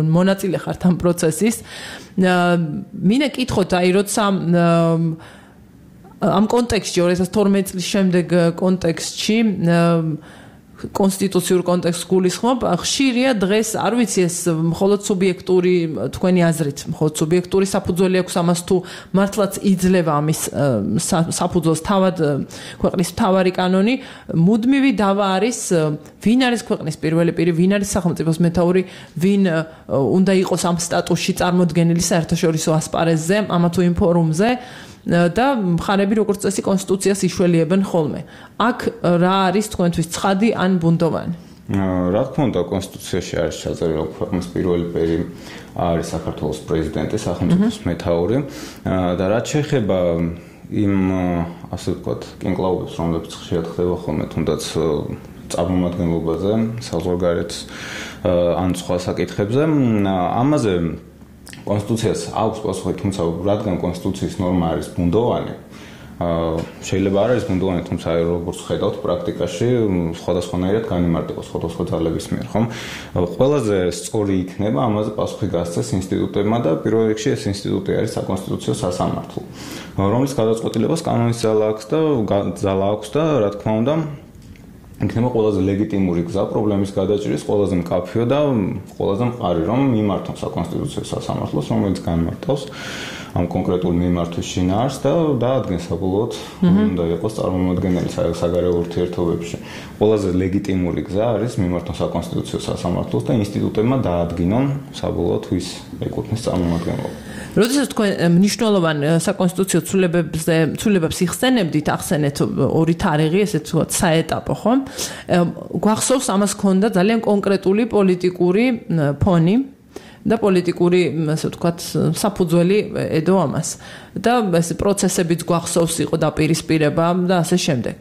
მონაწილე ხართ ამ პროცესის. მინდა კითხოთ, როცა ამ კონტექსტში 2012 წლის შემდეგ კონტექსტში კონსტიტუციურ კონტექსტს გულისხმობ, ხშირია დღეს, არ ვიცი ეს მხოლოდ სუბიექტური თქვენი აზრით, მხოლოდ სუბიექტური საფუძველი აქვს ამას თუ მართლაც იძლევა ამის საფუძველს თავად ქვეყნის მთავარი კანონი, მუდმივი დავა არის, ვინ არის ქვეყნის პირველი პირი, ვინ არის სახელმწიფოს მეთაური, ვინ უნდა იყოს ამ სტატუსში წარმოდგენილი საერთაშორისო ასპარეზზე, ამა თუ იმ ფორუმზე. და მხარები როგორც წესი კონსტიტუციას იშველიებენ ხოლმე. აქ რა არის თქვენთვის ცხადი ან ბუნდოვანი? რა თქმა უნდა, კონსტიტუციაში არის ჩაწერილი, რომ ქვეყნის პირველი პირი არის საქართველოს პრეზიდენტი, სახელმწიფოს მეთაური და რაც შეეხება იმ ასე ვთქვათ, კინკლაუბებს, რომლებიც ხშირად ხდება ხოლმე, თუნდაც წარმომადგენლობაზე, საზღვარგარეთ ან სხვა საკითხებზე, ამაზე კონსტიტუციას აქვს პასუხი, თუმცა რადგან კონსტიტუციის ნორმა არის ბუნდოვანი, შეიძლება არ არის ბუნდოვანი, თუმცა როგორც ხედავთ პრაქტიკაში სხვადასხვანაირად განიმარტება სხვადასხვა ძალების მიერ, ხომ? ყველაზე სწორი იქნება ამაზე პასუხი გასცეს ინსტიტუტებმა და პირველ რიგში ეს ინსტიტუტი არის საკონსტიტუციო სასამართლო, რომლის გადაწყვეტილებას კანონის ძალა აქვს და რა თქმა უნდა იქნება ყველაზე ლეგიტიმური გზა პრობლემის გადაჭრის, ყველაზე მკაფიო და ყველაზე მყარი, რომ მიმართოს საკონსტიტუციო სასამართლოს, რომელიც განმარტავს ამ კონკრეტულ მიმართვის შინაარსს და დაადგენს საბოლოოდ უნდა იყოს წარმომადგენელი საგარეო ურთიერთობებში. ყველაზე ლეგიტიმური გზა არის მიმართოს საკონსტიტუციო სასამართლოს და ინსტიტუტებმა დაადგინონ საბოლოოდ ვის ეკუთვნის წარმომადგენლობა. როდესაც თქვენ მნიშვნელოვან საკონსტიტუციო ცვლილებებს იხსენებდით, ახსენეთ ორი თარიღი, ესე ვთქვათ, საეტაპო, ხო? გვახსოვს ამას ქონდა ძალიან კონკრეტული პოლიტიკური ფონი და პოლიტიკური, ასე ვთქვათ, საფუძველი ედო ამას. და ეს პროცესებიც გვახსოვს, იყო დაპირისპირება და ასე შემდეგ.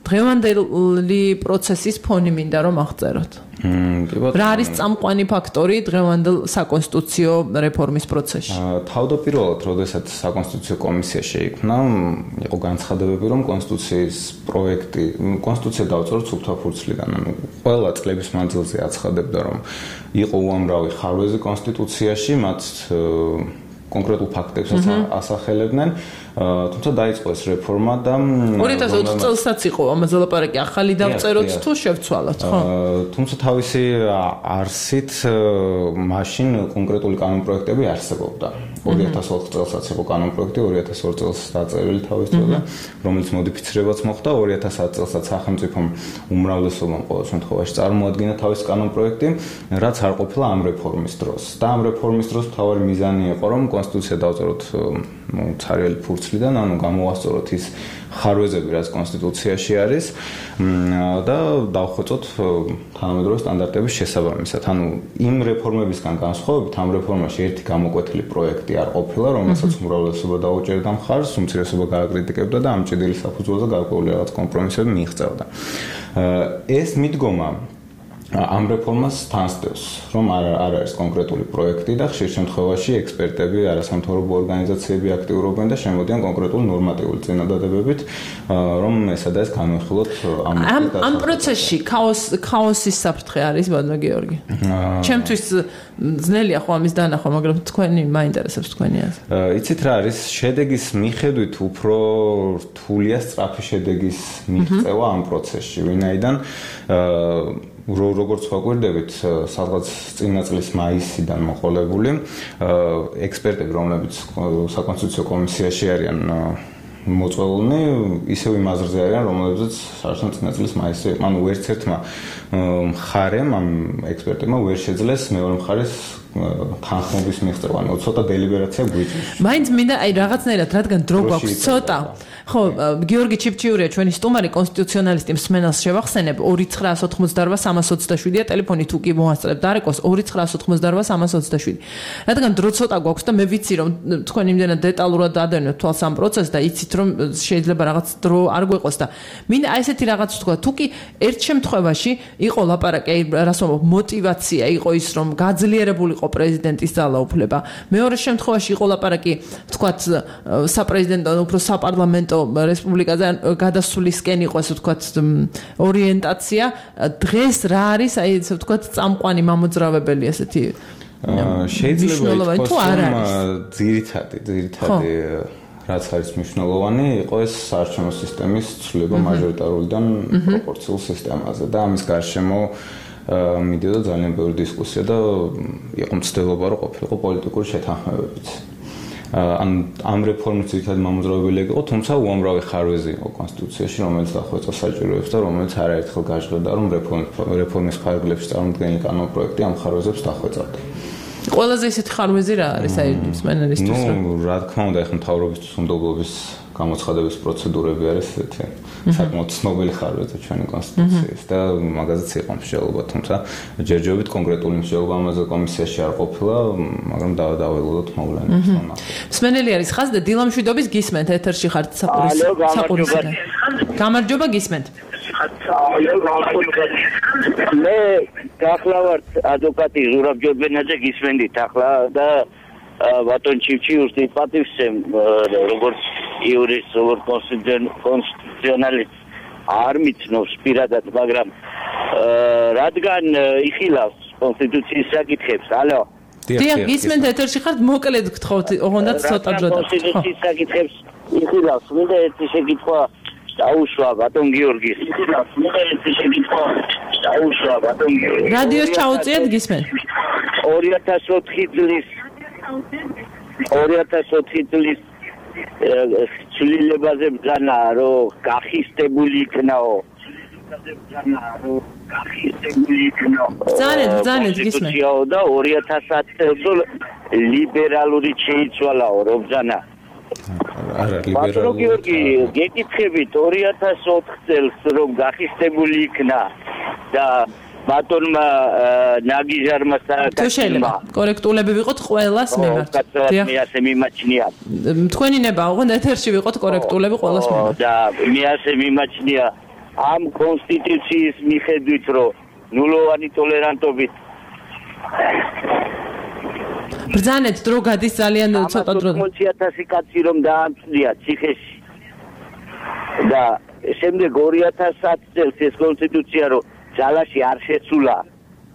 დღევანდელი პროცესის ფონი მინდა რომ აღწეროთ. რა არის წამყვანი ფაქტორი დღევანდელ საკონსტიტუციო რეფორმის პროცესში? თავდაპირველად, როდესაც საკონსტიტუციო კომისია შეიქმნა, იყო განცხადებები, რომ კონსტიტუციის პროექტი, კონსტიტუცია დავწეროთ სუფთა ფურცლიდან. ყველა წლების მანძილზე აცხადებდა, რომ იყო უამრავი ხარვეზი კონსტიტუციაში, მათ კონკრეტულ ფაქტებსაც ასახელებდნენ, თუმცა დაიწყო ეს რეფორმა და 2020 წელსაც იყო ამაზე ლაპარაკი, ახალი დავწეროთ თუ შევცვალოთ, ხო? თუმცა თავისი არსით მაშინ კონკრეტული კანონპროექტები არსებობდა. 2004 წელსაც იყო კანონპროექტი, 2002 წელს დაწერილი თავის დროზე, რომელიც მოდიფიცირებაც მოხდა, 2010 წელსაც სახელმწიფომ უმრავლესობამ ყოველ შემთხვევაში წარმოადგინა თავის კანონპროექტი, რაც არ ყოფილა ამ რეფორმის დროს. და ამ რეფორმის დროს მთავარი მიზანი იყო, რომ კონსტიტუცია დავწეროთ ცარიელი ფურცლიდან, ანუ გამოვასწოროთ ის ხარვეზები, რაც კონსტიტუციაში არის და დავხვეწოთ თანამედროვე სტანდარტების შესაბამისად. ანუ იმ რეფორმებისგან განსხვავებით, ამ რეფორმაში ერთი გამოკვეთილი პროექტი არ ყოფილა, რომელსაც უმრავლესობა დაუჭერდა მხარს, უმცირესობა გააკრიტიკებდა და ამ ჭედილი საფუძველზე გარკვეული რაღაც კომპრომისები მიიღწევდა. ეს მიდგომა ამ რეფორმას თანსდევს, რომ არ არის კონკრეტული პროექტი და ხშირ შემთხვევაში ექსპერტები, არასამთავრობო ორგანიზაციები აქტიურობენ და შემოდიან კონკრეტული ნორმატიული წინადადებებით, რომ ესა და ეს განვიხილოთ ამ პროცესში ქაოსის საფრთხე არის, ბატონო გიორგი. ჩემთვის ძნელია ხო ამის დანახვა, მაგრამ თქვენი მაინტერესებს თქვენი აზრი. იცით რა არის, შედეგის მიხედვით უფრო რთულია სწრაფი შედეგის მიღწევა ამ პროცესში, ვინაიდან როგორც ვაკვირდებით, სადღაც წინა წლის მაისიდან მოყოლებული ექსპერტები, რომლებიც საკონსტიტუციო კომისიაში არიან მოწვეულნი, ისევ იმ აზრზე არიან, რომლებზეც საერთოდ წინა წლის მაისში, ანუ ვერც ერთმა მხარემ ამ ექსპერტებმა ვერ შეძლეს მეორე მხარის თანხმობის მიღწევა, ანუ ცოტა დელიბერაცია გვიჭირს. მაინც მინდა აი რაღაცნაირად, რადგან დრო გვაქვს ცოტა. ხო, გიორგი ჩიფჩიურია ჩვენი სტუმარი, კონსტიტუციონალისტი, მსმენელს შევახსენებ 2988327-ია ტელეფონი თუ კი მოასწრებთ დარეკოს 2988327. რადგან დრო ცოტა გვაქვს და მე ვიცი რომ თქვენ იმდენად დეტალურად დადევნებთ თვალს ამ პროცესს და იცით რომ შეიძლება რაღაც დრო არ გვეყოს და მინდა აი ესეთი რაღაც ვთქვა, თუ კი ერთ შემთხვევაში იყო ლაპარაკი, რას ვამბობ, мотиваცია იყო ის რომ გაძლიერებულიყო პრეზიდენტის ძალაუფლება. მეორე შემთხვევაში იყო ლაპარაკი, ვთქვათ, საპრეზიდენტო, უფრო საპარლამენტო რესპუბლიკაზე გადასვლისკენ იყო ასე ვთქვათ ორიენტაცია. დღეს რა არის აი ესე ვთქვათ წამყვანი მამოძრავებელი ასეთი შეიძლება ითქვას რომ ძირითადი რაც არის მნიშვნელოვანი იყო ეს საარჩევნო სისტემის ცვლილება მაჟორიტარულიდან პროპორციულ სისტემაზე და ამის გარშემო მიდიოდა ძალიან ბევრი დისკუსია და იყო მცდელობა რომ ყოფილიყო პოლიტიკური შეთანხმებებიც. ამ რეფორმის ძირითადი მამოძრავებელი იყო, თუმცა უამრავი ხარვეზი იყო კონსტიტუციაში, რომელიც დახვეწა საჭიროებს და რომელიც არაერთხელ გაჟღერდა, რომ რეფორმის ფარგლებში წარმოდგენილი კანონპროექტი ამ ხარვეზებს დახვეწავდა. ყველაზე ისეთი ხარვეზი რა არის აი მსმენელისთვის? რა თქმა უნდა, ეხლა მთავრობის უნდობლობის გამოცხადების პროცედურები არის ესეთი საკმაოდ ცნობილი ხარვეზი ჩვენი კონსტიტუციის და მაგაზეც იყო მსჯელობა, თუმცა ჯერჯერობით კონკრეტული მსჯელობა ამაზე კომისიაში არ ყოფილა, მაგრამ დაველოდოთ მოვლენებს. მსმენელი არის ხაზზე დილამშვიდობის გისმენთ ეთერში ხართ საყურისიდან. გამარჯობა გისმენთ. მე გახლავართ ადვოკატი ზურაბ ჯორბენაძე გისმენდით ახლა და ბატონ ჩივჩიურს დიპატივსემ როგორც იურისტ, როგორც კონსტიტუციონალისტ არ მიცნობს პირადად, მაგრამ რადგან იხილავს კონსტიტუციის საკითხებს, ალო. დიახ, გისმენთ ეთერში ხართ, მოკლედ გთხოვთ, ოღონდაც ცოტა დრო და. კონსტიტუციის საკითხებს იხილავს, მინდა ერთი შეკითხვა დაუშვა ბატონ გიორგის. რადიოს ჩაუწიეთ გისმენთ. 2004 წლის ცვლილებაზე ბრძანა რომ გახისტებული იქნაო. ბრძანეთ გისმენთ. და 2010 წელს ლიბერალური შეიცვალაო რომ ბრძანა. ბატონო გიორგი, გეკითხებით 2004 წელს რომ გახისტებული იქნა და ბატონმა ნაგიჟარმა თუ შეიძლება კორექტულები ვიყოთ ყველას მიმართ. მე ასე მიმაჩნია. თქვენი ნება, ოღონდ ეთერში ვიყოთ კორექტულები ყველას მიმართ. და მე ასე მიმაჩნია ამ კონსტიტუციის მიხედვით რომ ნულოვანი ტოლერანტობით ბრძანეთ დრო გადის ძალიან ცოტა დრო. 80,000 კაცი რომ დაამწვია ციხეში. და შემდეგ 2010 წელს ეს კონსტიტუცია რომ ძალაში არ შეცვლა.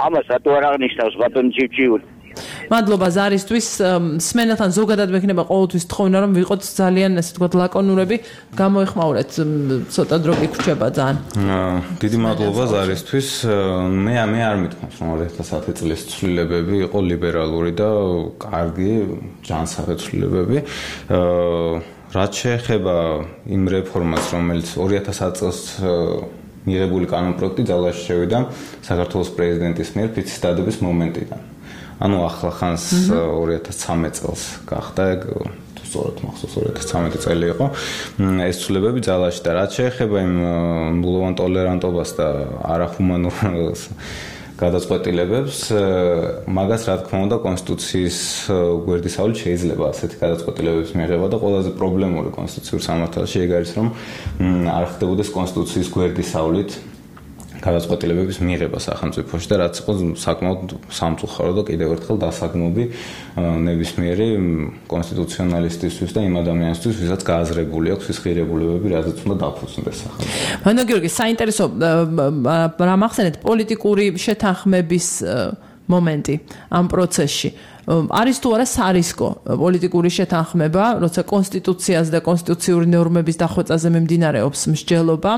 ამას რატო არ აღნიშნავს ბატონ ჩივჩიური? მადლობა ზარისთვის. სმენელთან ზოგადად მექნება ყოველთვის თხოვნა რომ ვიყოთ ძალიან ასე ვთქვათ ლაკონურები, გამოეხმაურეთ ცოტა დრო გიგვჭება ძალიან. დიდი მადლობა ზარისთვის. მე არ მithქვამს რომ 2010 წლის ცვლილებები იყო ლიბერალური და კარგი ჯანსაღი ცვლილებები. რაც შეეხება იმ რეფორმას, რომელიც 2010 წელს მიღებული კანონპროექტი ძალაში შევიდა საქართველოს პრეზიდენტის მიერ ფიცის დადების მომენტიდან. ანუ ახლა ხანს 2013 წელს გახდა ეგ თუ სწორად მახსოვს 2013 წელი იყო ეს ცვლილებები ძალაში და რაც შეეხება იმ ნულოვან ტოლერანტობას და არახუმანურ გადაწყვეტილებებს მაგას რა თქმა უნდა კონსტიტუციის გვერდისავლით შეიძლება ასეთი გადაწყვეტილებების მიღება და ყველაზე პრობლემური კონსტიტუციურ სამართალში ეგ არის რომ არ ხდებოდეს კონსტიტუციის გვერდისავლით გადაწყვეტილებების მიღება სახელმწიფოში და რაც იყო საკმაოდ სამწუხარო და კიდევ ერთხელ დასაგმობი ნებისმიერი კონსტიტუციონალისტისთვის და იმ ადამიანისთვის, ვისაც გააზრებული აქვს ის ღირებულებები, რაზეც უნდა დაფუძნდეს სახელმწიფო. მანო გიორგი, საინტერესო რა მახსენეთ პოლიტიკური შეთანხმების მომენტი ამ პროცესში. არის თუ არა სარისკო პოლიტიკური შეთანხმება, როცა კონსტიტუციას და კონსტიტუციური ნორმების დახვეწაზე მიმდინარეობს მსჯელობა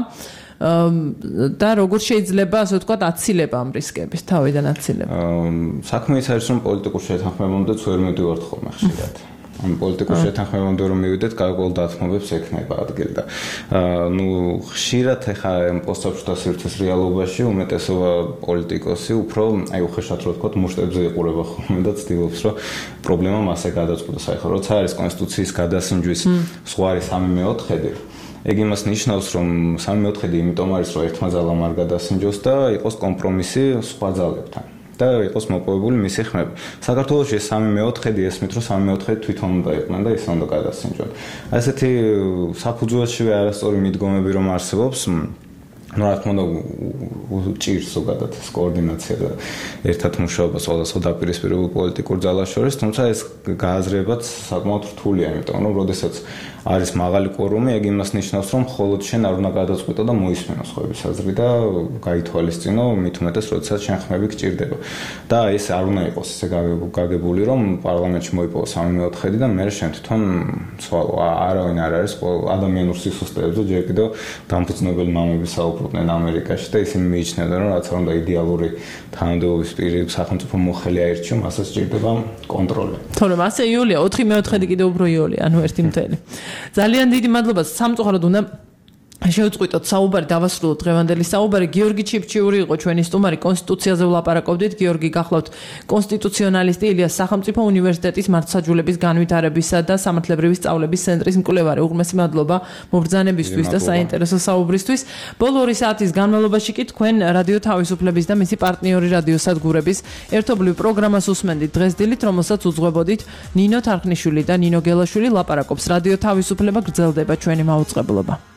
და როგორ შეიძლება ასე ვთქვათ აცილება ამ რისკების თავიდან აცილება. საქმე ის არის რომ პოლიტიკურ შეთანხმებამდეც ვერ მივდივართ ხოლმე ხშირად. ამ პოლიტიკურ შეთანხმებამდე რომ მივიდეთ, გარკვეულ დათმობებს ექნება ადგილი და ხშირად ახლა ამ პოსტსაბჭოთა სივრცის რეალობაში უმეტესობა პოლიტიკოსი უფრო უხეშად რო ვთქვათ მუშტებზე იყურება ხოლმე და ცდილობს რომ პრობლემა მასე გადაწყვეტოს. ახლა როცა არის კონსტიტუციის გადასინჯვის ზღვარი 3/4 ეგ იმას ნიშნავს, რომ 3/4 იმიტომ არის, რომ ერთმა ძალამ არ გადასინჯოს და იყოს კომპრომისი სხვა ძალებთან და იყოს მოპოვებული მისი ხმები. საქართველოში 3/4 ესმით, რომ 3/4 თვითონ უნდა იყვნენ და ისე უნდა გადასინჯონ. ასეთი საფუძველშივე არასწორი მიდგომები რომ არსებობს, რა თქმა უნდა ჭირს ზოგადად ეს კოორდინაცია და ერთად მუშაობა სხვადასხვა დაპირისპირებულ პოლიტიკურ ძალას შორის, თუმცა ეს გააზრებაც საკმაოდ რთულია, იმიტომ რომ როდესაც არის მაღალი კვორუმი, ეგ იმას ნიშნავს, რომ მხოლოდ შენ არ უნდა გადაწყვეტო და მოისმენო სხვების აზრი და გაითვალისწინო, მით უმეტეს, როდესაც შენ ხმები გჭირდება. და ეს არ უნდა იყოს ესე გაგებული, რომ პარლამენტში მოიპოვო 3/4 და მე შენ თვითონ ცვალო, არავინ არ არის ადამიანურ სისუსტეებზე, ჯერ კიდევ დამფუძნებელი მამები საუბრობდნენ ამერიკაში და ისინი მიიჩნევდნენ, რომ რაც არ უნდა იდეალური თანამდებობის პირი სახელმწიფო მოხელი აირჩიო, მასაც სჭირდება კონტროლი. თორემ ასე იულია 4/4 კიდევ უფრო იულია, ანუ 1/1. ძალიან დიდი მადლობა. სამწუხაროდ უნდა შევწყვიტოთ საუბარი, დავასრულოთ დღევანდელი საუბარი. გიორგი ჩიფჩიური იყო ჩვენი სტუმარი, კონსტიტუციაზე ვლაპარაკობდით. გიორგი, გახლავთ კონსტიტუციონალისტი, ილიას სახელმწიფო უნივერსიტეტის მართლმსაჯულების განვითარებისა და სამართლებრივი სწავლების ცენტრის მკვლევარი. უღრმესი მადლობა მობრძანებისთვის და საინტერესო საუბრისთვის. ბოლო 2 საათის განმავლობაში კი თქვენ რადიო თავისუფლების და მისი პარტნიორი რადიოსადგურების ერთობლივ პროგრამას უსმენდით დღეს დილით, რომელსაც უძღვებოდით ნინო თარხნიშვილი და ნინო გელაშვილი. ლაპარაკობს რადიო თავისუფლება, გრძელდება ჩვენი მაუწყებლობა.